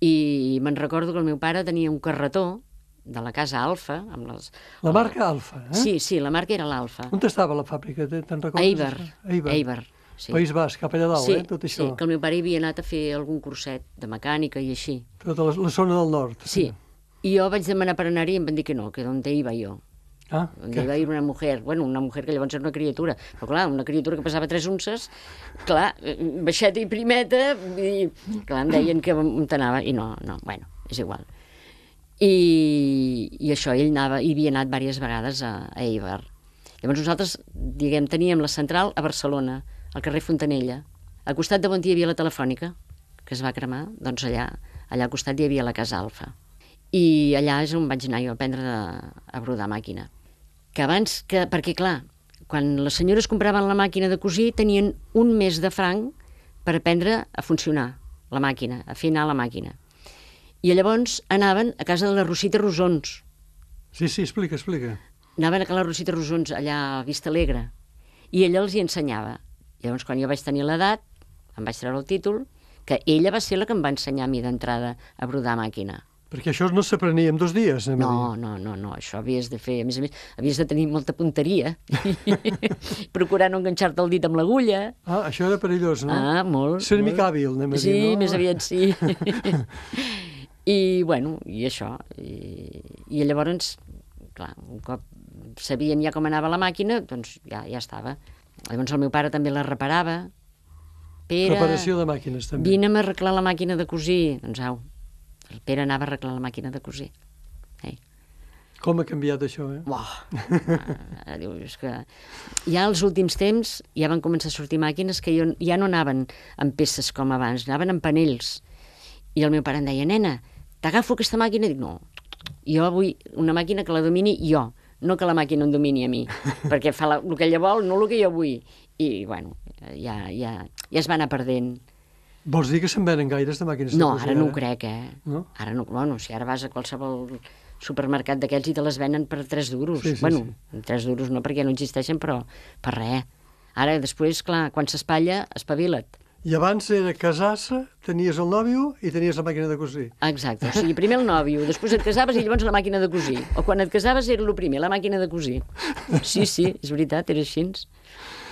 I me'n recordo que el meu pare tenia un carretó de la casa Alfa. Amb les... La marca Alfa, eh? Sí, sí, la marca era l'Alfa. On estava la fàbrica, te'n recordes? Eibar. Eibar. Eibar. Sí. País Basc, cap allà dalt, sí, eh, tot això. Sí, que el meu pare havia anat a fer algun curset de mecànica i així. Tota la, la zona del nord. Sí, i jo vaig demanar per anar-hi i em van dir que no, que d'on iba jo. Ah, donde iba a ir una mujer, bueno, una mujer que llavors era una criatura, però clar, una criatura que pesava tres unces, clar, baixeta i primeta, i clar, em deien que on t'anava, i no, no, bueno, és igual. I, i això, ell anava, hi havia anat diverses vegades a, a Eibar. Llavors nosaltres, diguem, teníem la central a Barcelona, al carrer Fontanella. Al costat de on hi havia la telefònica, que es va cremar, doncs allà, allà al costat hi havia la casa Alfa. I allà és on vaig anar jo a aprendre de, a brodar màquina. Que abans, que, perquè clar, quan les senyores compraven la màquina de cosir, tenien un mes de franc per aprendre a funcionar la màquina, a fer anar la màquina. I llavors anaven a casa de la Rosita Rosons. Sí, sí, explica, explica. Anaven a casa de la Rosita Rosons, allà a Vista Alegre, i ella els hi ensenyava. Llavors, quan jo vaig tenir l'edat, em vaig treure el títol, que ella va ser la que em va ensenyar a mi d'entrada a brodar màquina. Perquè això no s'aprenia en dos dies, anem no, a dir. No, no, no, això havies de fer, a més a més, havies de tenir molta punteria, procurar no enganxar-te el dit amb l'agulla. Ah, això era perillós, no? Ah, molt. Ser una molt. mica hàbil, anem a sí, dir, no? Sí, més aviat sí. I, bueno, i això. I, i llavors, clar, un cop sabien ja com anava la màquina, doncs ja, ja estava. Llavors el meu pare també la reparava. Pere, reparació de màquines, també. Vine'm a arreglar la màquina de cosir. Doncs au, el Pere anava a arreglar la màquina de cosir. Ei. Com ha canviat això, eh? Uah, ah, diu, és que ja als últims temps ja van començar a sortir màquines que jo, ja no anaven amb peces com abans, anaven amb panells. I el meu pare em deia, nena, t'agafo aquesta màquina? I dic, no, jo vull una màquina que la domini jo, no que la màquina em domini a mi, perquè fa la, el que ella vol, no el que jo vull. I, bueno, ja, ja, ja es va anar perdent. Vols dir que se'n venen gaires de màquines no, de cosir? No, ara no ho crec, eh? No? Ara no, bueno, si ara vas a qualsevol supermercat d'aquells i te les venen per tres duros. Sí, sí, bueno, sí. tres duros no, perquè no existeixen, però per res. Ara, després, clar, quan s'espatlla, espavila't. I abans era casar-se, tenies el nòvio i tenies la màquina de cosir. Exacte, o sigui, primer el nòvio, després et casaves i llavors la màquina de cosir. O quan et casaves era el primer, la màquina de cosir. Sí, sí, és veritat, era així.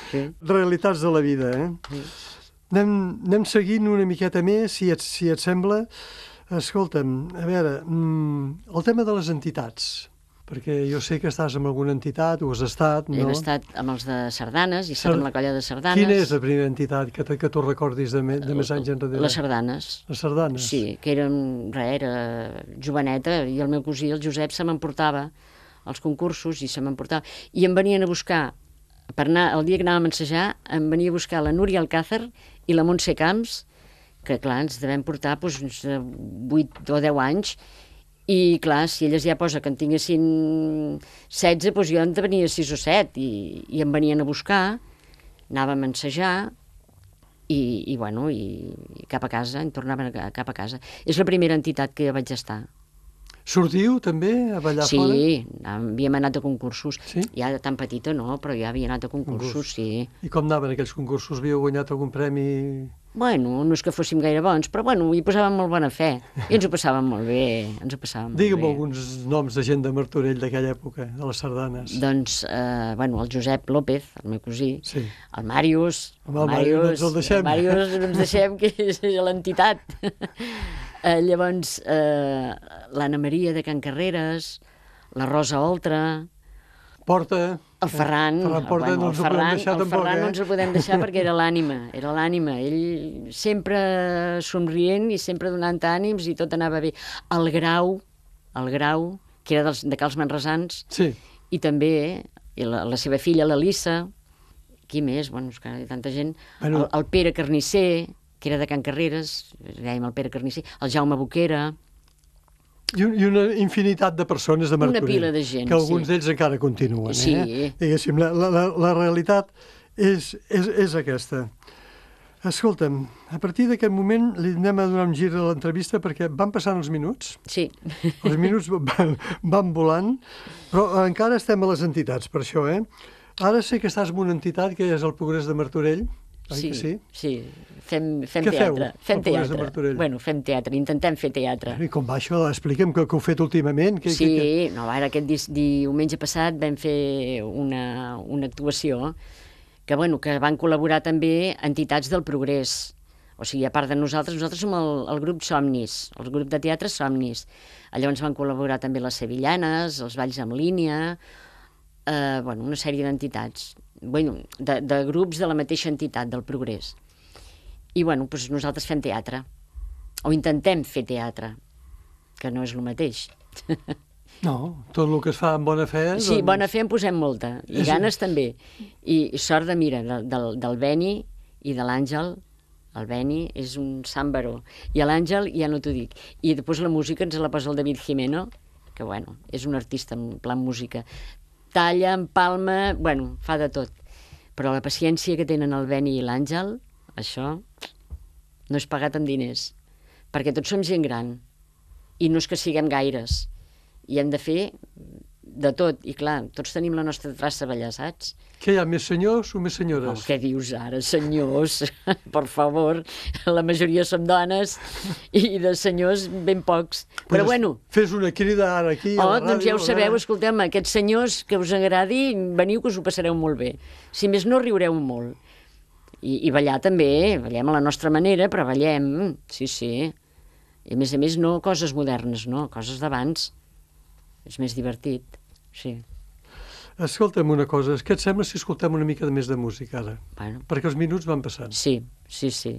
Sí. Realitats de la vida, eh? Sí. Anem, anem seguint una miqueta més, si et, si et sembla. Escolta'm, a veure, el tema de les entitats, perquè jo sé que estàs amb alguna entitat, o has estat, no? Hem estat amb els de sardanes, i estat amb la colla de sardanes. Quina és la primera entitat que, que tu recordis de, me, de més anys enrere? Les sardanes. Les sardanes? Sí, que eren, res, era joveneta, i el meu cosí, el Josep, se m'emportava als concursos, i se m'emportava. I em venien a buscar, per anar, el dia que anàvem a ensejar, em venia a buscar la Núria Alcázar i la Montse Camps, que clar, ens devem portar doncs, uns vuit o deu anys, i clar, si elles ja posa que en tinguessin setze, doncs jo en venia sis o set, i, i em venien a buscar, anàvem a ensejar, i, i bueno, i, i cap a casa, em tornaven a, cap a casa. És la primera entitat que jo vaig estar. Sortiu també a ballar sí, fora? Sí, havíem anat a concursos. Sí? Ja de tan petita no, però ja havia anat a concursos, Concurs. sí. I com anaven aquells concursos? Havíeu guanyat algun premi? Bueno, no és que fóssim gaire bons, però bueno, hi posàvem molt bona fe. I ens ho passàvem molt bé, ens ho passàvem molt Digue'm bé. alguns noms de gent de Martorell d'aquella època, de les sardanes. Doncs, eh, bueno, el Josep López, el meu cosí, sí. el Màrius, el, el Màrius, no ens el deixem. El Màrius no ens deixem, que és l'entitat. Eh, llavors, eh, l'Anna Maria de Can Carreres, la Rosa Oltra... Porta... El Ferran, eh? Ferran Porta, bueno, no el ens Ferran, ho podem deixar el tampoc, Ferran eh? no ens ho podem deixar perquè era l'ànima, era l'ànima. Ell sempre somrient i sempre donant ànims i tot anava bé. El Grau, el Grau, que era dels, de Cals Manresans, sí. I també i la, la seva filla, l'Elissa, qui més? Bueno, és que hi ha tanta gent. Bueno, el, el Pere Carnisser, que era de Can Carreres, dèiem el Pere Carnisser, el Jaume Boquera... I, un, I una infinitat de persones de Martorell. Una pila de gent, que alguns sí. d'ells encara continuen. Sí. Eh? Diguéssim, la, la, la realitat és, és, és aquesta. Escolta'm, a partir d'aquest moment li anem a donar un gir a l'entrevista perquè van passant els minuts. Sí. Els minuts van, van volant, però encara estem a les entitats, per això, eh? Ara sé que estàs en una entitat que és el Progrés de Martorell, oi Sí, que sí? sí. Fem, fem Què feu, teatre. al Fem Progrés de teatre. Martorell? Bueno, fem teatre, intentem fer teatre. I com va això? Explica'm que, que heu fet últimament. Que, Sí, que, que... no, ara aquest di diumenge passat vam fer una, una actuació que, bueno, que van col·laborar també entitats del Progrés. O sigui, a part de nosaltres, nosaltres som el, el grup Somnis, el grup de teatre Somnis. Llavors van col·laborar també les Sevillanes, els Balls en línia, eh, bueno, una sèrie d'entitats, bueno, de, de grups de la mateixa entitat, del Progrés. I, bueno, doncs nosaltres fem teatre, o intentem fer teatre, que no és el mateix. No, tot el que es fa amb bona fe... Sí, doncs... bona fe en posem molta, i És- ganes també. I sort de, mira, del, del, del Beni i de l'Àngel. El Beni és un sant baró. I l'Àngel ja no t'ho dic. I després la música ens la posa el David Jimeno, que, bueno, és un artista en plan música. Talla, empalma, bueno, fa de tot. Però la paciència que tenen el Beni i l'Àngel, això no és pagat amb diners. Perquè tots som gent gran. I no és que siguem gaires. I hem de fer de tot. I clar, tots tenim la nostra traça allà, saps? Què hi ha, més senyors o més Oh, senyores? què dius ara, senyors? Per favor, la majoria som dones i de senyors ben pocs. Però Pues bueno, Fes una crida ara aquí oh, a la ràdio. doncs ja ho sabeu, escolteu-me, aquests senyors que us agradi, veniu que us ho passareu molt bé. Si més no, riureu molt. I, i ballar també, ballem a la nostra manera, però ballem, sí, sí. I a més a més no coses modernes, no, coses d'abans. És més divertit, sí. Escolta'm una cosa, què et sembla si escoltem una mica més de música ara? Bueno, Perquè els minuts van passant. sí, sí, sí.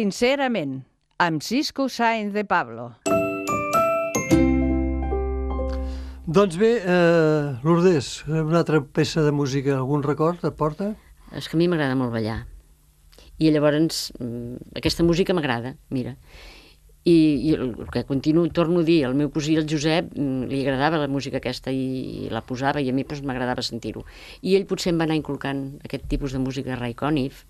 Sincerament, amb Cisco Sáenz de Pablo. Doncs bé, eh, Lourdes, una altra peça de música, algun record et porta? És que a mi m'agrada molt ballar. I llavors, aquesta música m'agrada, mira. I, i el que continuo, torno a dir, el meu cosí, el Josep, li agradava la música aquesta i, i la posava i a mi doncs, m'agradava sentir-ho. I ell potser em va anar inculcant aquest tipus de música, Ray Conniff,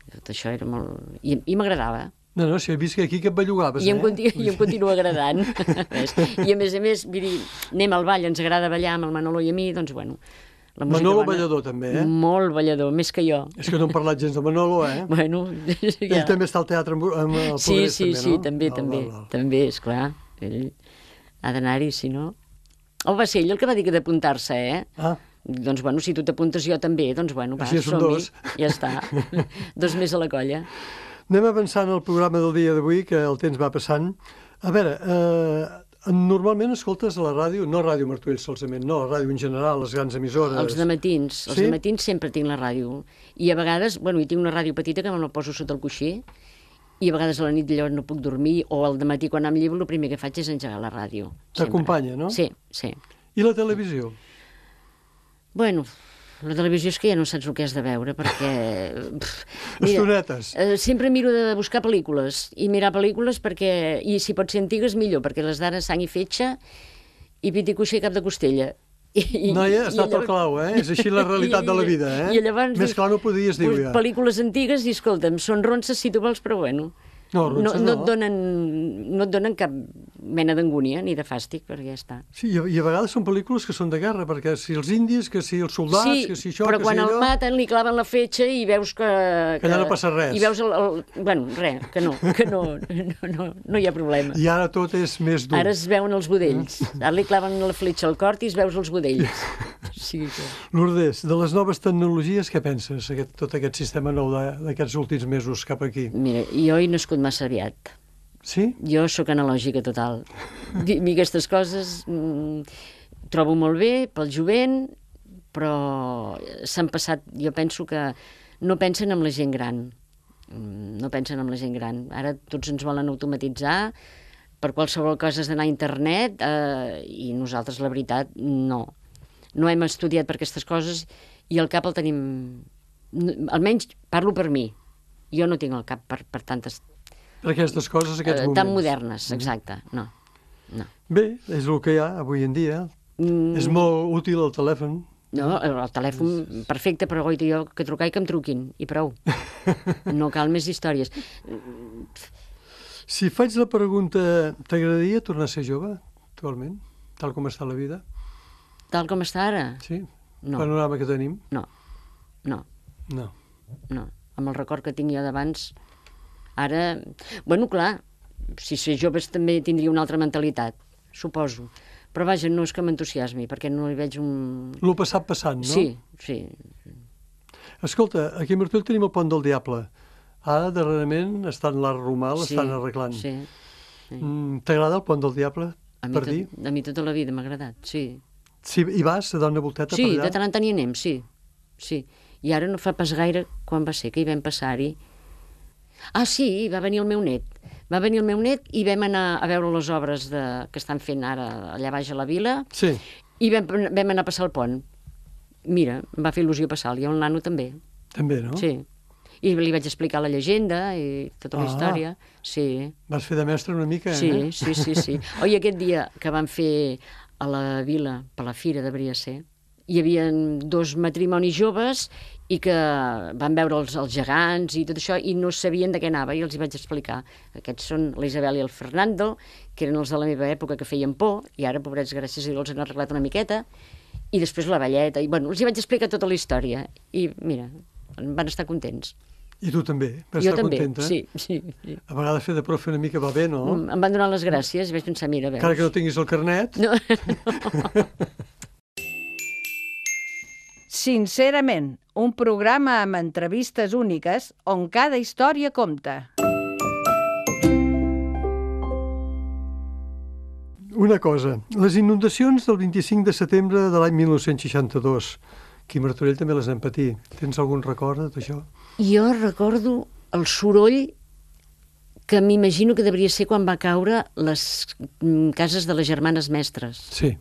tot això era molt... I, i m'agradava. No, no, si he vist que aquí que et bellugaves, I em, eh? continu, I em continua agradant. I a més a més, vull dir, anem al ball, ens agrada ballar amb el Manolo i a mi, doncs bueno... La Manolo bona, ballador també, eh? Molt ballador, més que jo. És que no hem parlat gens de Manolo, eh? Bueno, ja. Ell també està al teatre amb, amb el sí, Progrés, sí, també, sí, no? també, Val, també, val, val. també, esclar. Ell ha d'anar-hi, si no... O va ser ell el que va dir que d'apuntar-se, eh? Ah. Doncs, bueno, si tu t'apuntes jo també, doncs, bueno, va, Així són som-hi. dos. Ja està. Dos més a la colla. Anem avançant al programa del dia d'avui, que el temps va passant. A veure, eh, normalment escoltes a la ràdio, no Ràdio Martorell solament, no, la ràdio en general, les grans emissores. Els dematins, els Sí? dematins sempre tinc la ràdio. I a vegades, bueno, hi tinc una ràdio petita que me la poso sota el coixí, i a vegades a la nit allò no puc dormir, o al dematí quan em llevo el primer que faig és engegar la ràdio. sempre. T'acompanya, no? Sí, sí. I la televisió? Bueno, la televisió és que ja no saps el que has de veure, perquè... Pff, mira, Estonetes. eh, sempre miro de buscar pel·lícules, i mirar pel·lícules perquè, i si pot ser antigues millor, perquè les d'ara sang i fetge, i pit i cuixa i cap de costella. I, Noia, has i anat al clau, eh? És així la realitat i, de la vida, eh? I llavors, Més clar no podies dir, pues, ja. pel·lícules antigues, i escolta'm, són ronces si tu vols, però bueno... No, no, ronces no, no. et donen, no et donen cap mena d'angúnia ni de fàstic, perquè ja està. Sí, i a, i a vegades són pel·lícules que són de guerra, perquè si els indis, que si els soldats, Sí, que si això, però que quan si el allò... maten li claven la fetge i veus que... Que allà no passa res. I veus el... el bueno, res, que no, que no, no, no, no hi ha problema. I ara tot és més dur. Ara es veuen els budells. Ara li claven la fletxa al cor i es veus els budells. Sí, que... Lourdes, de les noves tecnologies, què penses, aquest, tot aquest sistema nou de- d'aquests últims mesos cap aquí? Mira, jo he nascut massa aviat. Sí? Jo sóc analògica total. A mi aquestes coses mm, trobo molt bé pel jovent, però s'han passat, jo penso que no pensen en la gent gran. Mm, no pensen en la gent gran. Ara tots ens volen automatitzar, per qualsevol cosa has d'anar a internet, eh, i nosaltres, la veritat, no. No hem estudiat per aquestes coses i el cap el tenim... Almenys parlo per mi. Jo no tinc el cap per, per tantes... Per aquestes coses, aquests eh, moments. tan modernes, exacte. No, no. Bé, és el que hi ha avui en dia. Mm, És molt útil el telèfon. No, el telèfon perfecte, però goita jo que trucar i que em truquin, i prou. No cal més històries. Si faig la pregunta, t'agradaria tornar a ser jove, actualment, tal com està la vida? Tal com està ara? Sí? No. Panorama que tenim? No, no, No. no. Amb el record que tinc jo d'abans, ara... Bueno, clar, si ser joves també tindria una altra mentalitat, suposo. Però vaja, no és que m'entusiasmi, perquè no hi veig un... Lo passat passant, no? Sí, sí. Escolta, aquí a Martorell tenim el Pont del Diable. Ara, darrerament, està en l'art romà, l'estan sí, arreglant. Sí, sí. Mm, T'agrada el Pont del Diable, A mi, per dir? tot, a mi tota la vida m'ha agradat, sí. Si hi vas a dar una volteta Sí, per allà? de tant en tant hi anem, sí. Sí. I ara no fa pas gaire, quan va ser que hi vam passar-hi... Ah, sí, va venir el meu net. Va venir el meu net i vam anar a veure les obres de, que estan fent ara allà baix a la vila, Sí, i vam, vam anar a passar el pont. Mira, em va fer il·lusió passar-lo, i el nano també. també, no? Sí. I li vaig explicar la llegenda i tota la Ah. història. Sí. Vas fer de mestre una mica, Sí, eh? sí, sí, sí. Oi, aquest dia que van fer a la vila, per la fira de Briacer, hi havia dos matrimonis joves i que van veure els, els gegants i tot això i no sabien de què anava i els hi vaig explicar. Aquests són la Isabel i el Fernando, que eren els de la meva època que feien por, i ara, pobrets, gràcies a Déu, els han arreglat una miqueta, i després la velleta, i bueno, els hi vaig explicar tota la història, i mira, van estar contents. I tu també, vas Jo estar també, contenta? sí, sí, sí. A vegades fer de profe una mica va bé, no? Em van donar les gràcies i vaig pensar, mira, veus... Encara que no tinguis el carnet. No, Sincerament, un programa amb entrevistes úniques on cada història compta. Una cosa, les inundacions del vint-i-cinc de setembre de l'any mil nou-cents seixanta-dos, aquí a Martorell també les hem patit. Tens algun record d'això? jo recordo el soroll que m'imagino que devia ser quan va caure les cases de les germanes mestres. Sí.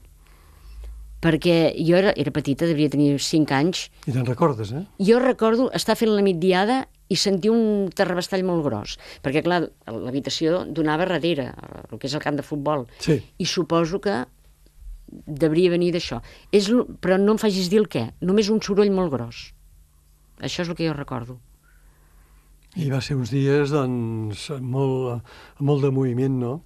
Perquè jo era, era petita, devia tenir cinc anys. I te'n recordes, eh? Jo recordo estar fent la migdiada i sentir un terrabastall molt gros. Perquè, clar, l'habitació donava darrere, el que és el camp de futbol. Sí. I suposo que devia venir d'això. És, però no em facis dir el què, només un soroll molt gros. Això és el que jo recordo. I va ser uns dies, doncs, molt, molt de moviment, no?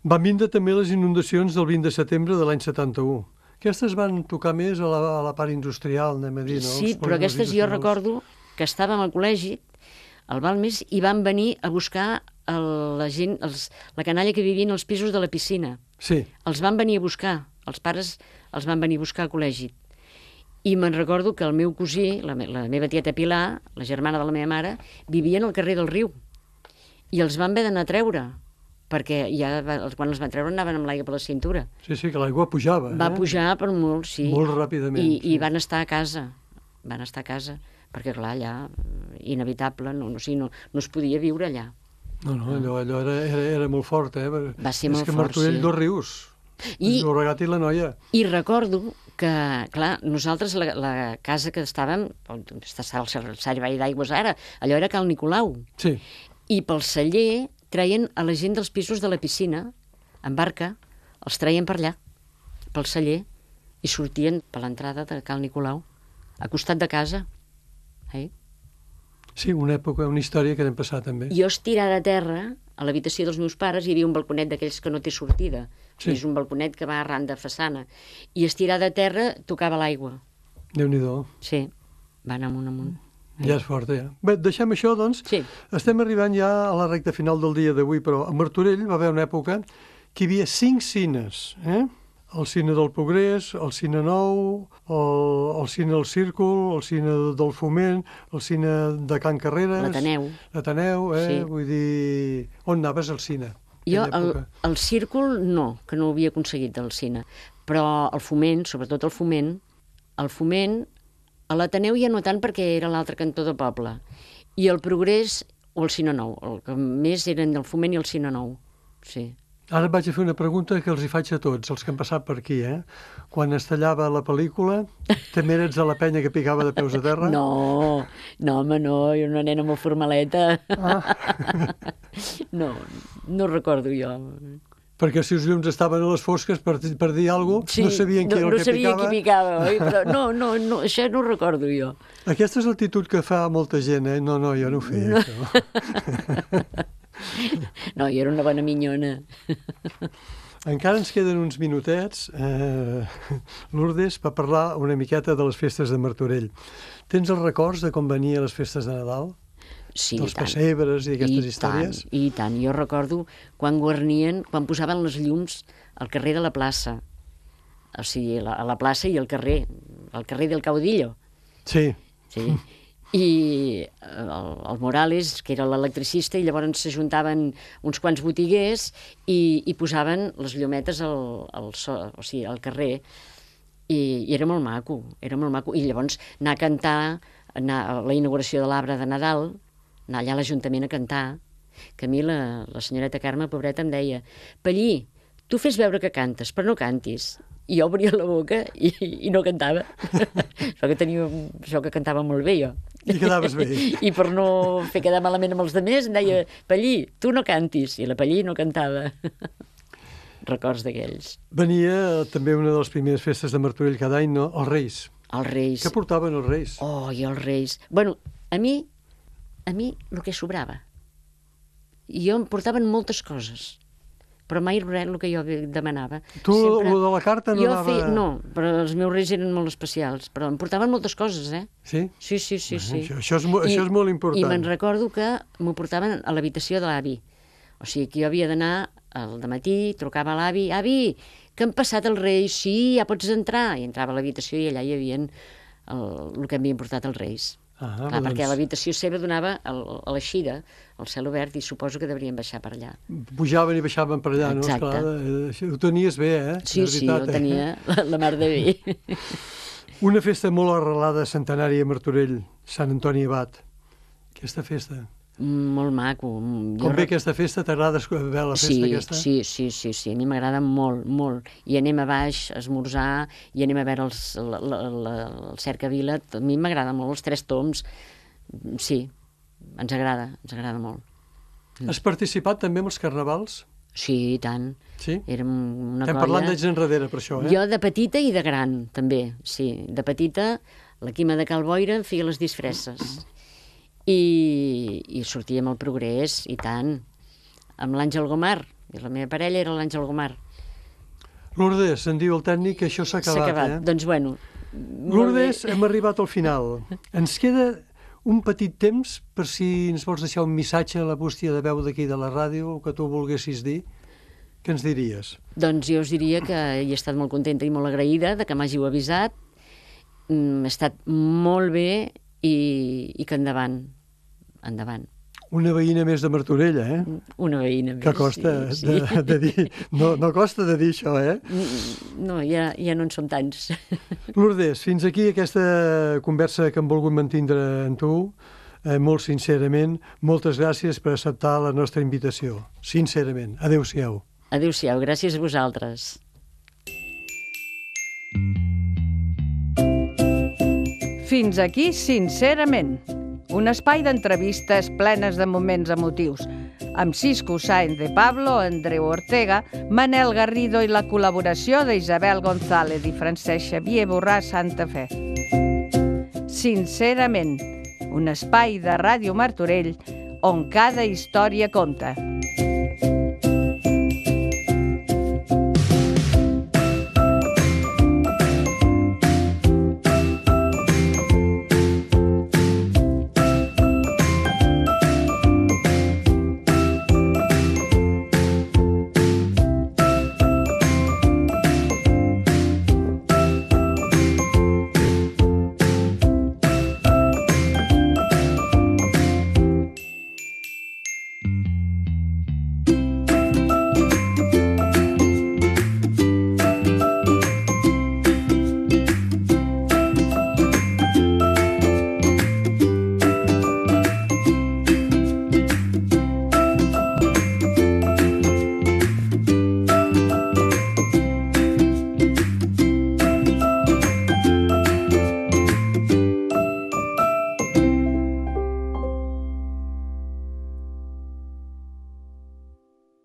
Van vindre també les inundacions del vint de setembre de l'any setanta-u. Aquestes van tocar més a la, a la part industrial, anem a dir, no? Sí, però aquestes jo recordo que estàvem al col·legi, al Balmes, i van venir a buscar el, la gent, els, la canalla que vivien als pisos de la piscina. Sí. Els van venir a buscar, els pares els van venir a buscar al col·legi. I me'n recordo que el meu cosí, la, me, la meva tieta Pilar, la germana de la meva mare, vivien al carrer del riu. I els van haver d'anar a treure, perquè ja quan els van treure anaven amb l'aigua per la cintura. Sí, sí, que l'aigua pujava. Va eh? pujar per molt, sí. Molt ràpidament. I, sí. I van estar a casa, van estar a casa, perquè clar, allà, inevitable, no, no, sí, no, no es podia viure allà. No, no, allò, allò era, era, era molt fort, eh? Va ser és molt que fort, Martorell, sí. dos rius, I, el Llobregat i la Noia. I recordo que, clar, nosaltres, la, la casa que estàvem, on està el servei d'aigües ara, allò era Cal Nicolau. Sí. I pel celler treien a la gent dels pisos de la piscina, en barca, els treien per allà, pel celler, i sortien per l'entrada de Cal Nicolau, a costat de casa. Eh? Sí, una època, una història que n'hem passat també. Jo estirada a terra, a l'habitació dels meus pares, hi havia un balconet d'aquells que no té sortida. Sí. És un balconet que va arran de façana. I estirada a terra tocava l'aigua. Déu-n'hi-do. Sí, va anar amunt, amunt. Ja és fort, ja. Bé, deixem això, doncs. Sí. Estem arribant ja a la recta final del dia d'avui, però a Martorell va haver una època que hi havia cinc cines, eh? El cine del Progrés, el cine Nou, el, el cine del Círcul, el cine del Foment, el cine de Can Carreres... L'Ateneu. L'Ateneu, eh? Sí. Vull dir... On anaves al cine? Jo, el, el Círcul, no, que no ho havia aconseguit del cine. Però el Foment, sobretot el Foment, el Foment, a l'Ateneu ja no tant perquè era l'altre cantó de poble. I el Progrés o el Cine Nou. El que més eren el Foment i el Cine Nou, sí. Ara et vaig a fer una pregunta que els hi faig a tots, els que han passat per aquí, eh? Quan es tallava la pel·lícula, també eres a la penya que picava de peus a terra? No, no, home, no, jo una nena molt formaleta. Ah. No, no recordo jo. Perquè si els llums estaven a les fosques per, per dir alguna cosa, sí, no sabien qui no, era el no que sabia picava. qui picava, oi? Però no, no, no, això no ho recordo jo. Aquesta és l'actitud que fa molta gent, eh? No, no, jo no ho feia, no. Això. No, jo era una bona minyona. Encara ens queden uns minutets, eh, Lourdes, per parlar una miqueta de les festes de Martorell. Tens els records de com venia les festes de Nadal? Sí, dels i tant. pessebres i aquestes I històries? Tant, I tant, jo recordo quan guarnien, quan posaven les llums al carrer de la plaça, o sigui, a la, a la plaça i al carrer, al carrer del Caudillo. Sí. Sí. I el, el Morales, que era l'electricista, i llavors s'ajuntaven uns quants botiguers i, i posaven les llumetes al, al, so, o sigui, al carrer, i, i era molt maco, era molt maco. I llavors anar a cantar, anar a la inauguració de l'arbre de Nadal, anar allà a l'Ajuntament a cantar, que a mi la, la senyoreta Carme, pobreta, em deia: Pallí, tu fes veure que cantes, però no cantis. I jo obria la boca i, i no cantava. Això que tenia, això que cantava molt bé, jo. I quedaves bé. I per no fer quedar malament amb els altres, em deia: Pallí, tu no cantis. I la Pallí no cantava. Records d'aquells. Venia també una de les primeres festes de Martorell cada any, no? Els Reis. Els Reis. Què portaven els Reis? Oh, i els Reis. Bueno, a mi, a mi el que sobrava. I jo em portaven moltes coses, però mai res el que jo demanava. Tu, Sempre... el de la carta no jo anava... Feia... No, però els meus reis eren molt especials, però em portaven moltes coses, eh? Sí? Sí, sí, sí. sí. Això, això, és, I, això és molt important. I me'n recordo que m'ho portaven a l'habitació de l'avi. O sigui, que jo havia d'anar al dematí, trucava a l'avi: avi, que han passat els reis? Sí, ja pots entrar. I entrava a l'habitació i allà hi havia el, el que havien portat els reis. Ah, Clar, doncs... perquè l'habitació seva donava a l'eixida, al cel obert, i suposo que deurien baixar per allà. Pujaven i baixaven per allà, Exacte. no? Esclar, ho tenies bé, eh? Sí, sí, ho tenia la, la mar de bé. Una festa molt arrelada, centenària a Martorell, Sant Antoni Abat. Aquesta festa, Molt maco. Jo Com ve rec- aquesta festa? T'agrada veure la festa Sí, aquesta? sí, sí, sí, sí, a mi m'agrada molt, molt. I anem a baix a esmorzar, i anem a veure els, la, la, la, el Cercavila, a mi m'agrada molt, els Tres Tombs, sí, ens agrada, ens agrada molt. Has participat també amb els carnavals? Sí, i tant. Sí? Érem una Estem colla... parlant d'anys enrere, per això, eh? Jo de petita i de gran, també, sí. De petita, la Quima de Cal Boira em feia les disfresses. I, i sortíem al Progrés, i tant, amb l'Àngel Gomar, i la meva parella era l'Àngel Gomar. Lourdes, em diu el tècnic que això s'ha S'ha acabat, acabat. eh? Doncs bueno, molt Lourdes, bé. hem arribat al final. Ens queda un petit temps per si ens vols deixar un missatge a la bústia de veu d'aquí de la ràdio, o que tu volguessis dir. Què ens diries? Doncs jo us diria que hi he estat molt contenta i molt agraïda de que m'hàgiu avisat. Mm, ha estat molt bé i, i que endavant, endavant. Una veïna més de Martorell, eh? Una veïna més. Que costa sí, de, sí. de dir... No, no costa de dir això, eh? No, ja, ja no en som tants. Lourdes, fins aquí aquesta conversa que hem volgut mantindre amb tu, eh, molt sincerament. Moltes gràcies per acceptar la nostra invitació. Sincerament. Adéu-siau. Adéu-siau, gràcies a vosaltres. Fins aquí, sincerament, un espai d'entrevistes plenes de moments emotius, amb Cisco Sáenz de Pablo, Andreu Ortega, Manel Garrido i la col·laboració d'Isabel González i Francesc Xavier Borràs Santa Fe. Sincerament, un espai de Ràdio Martorell on cada història compta.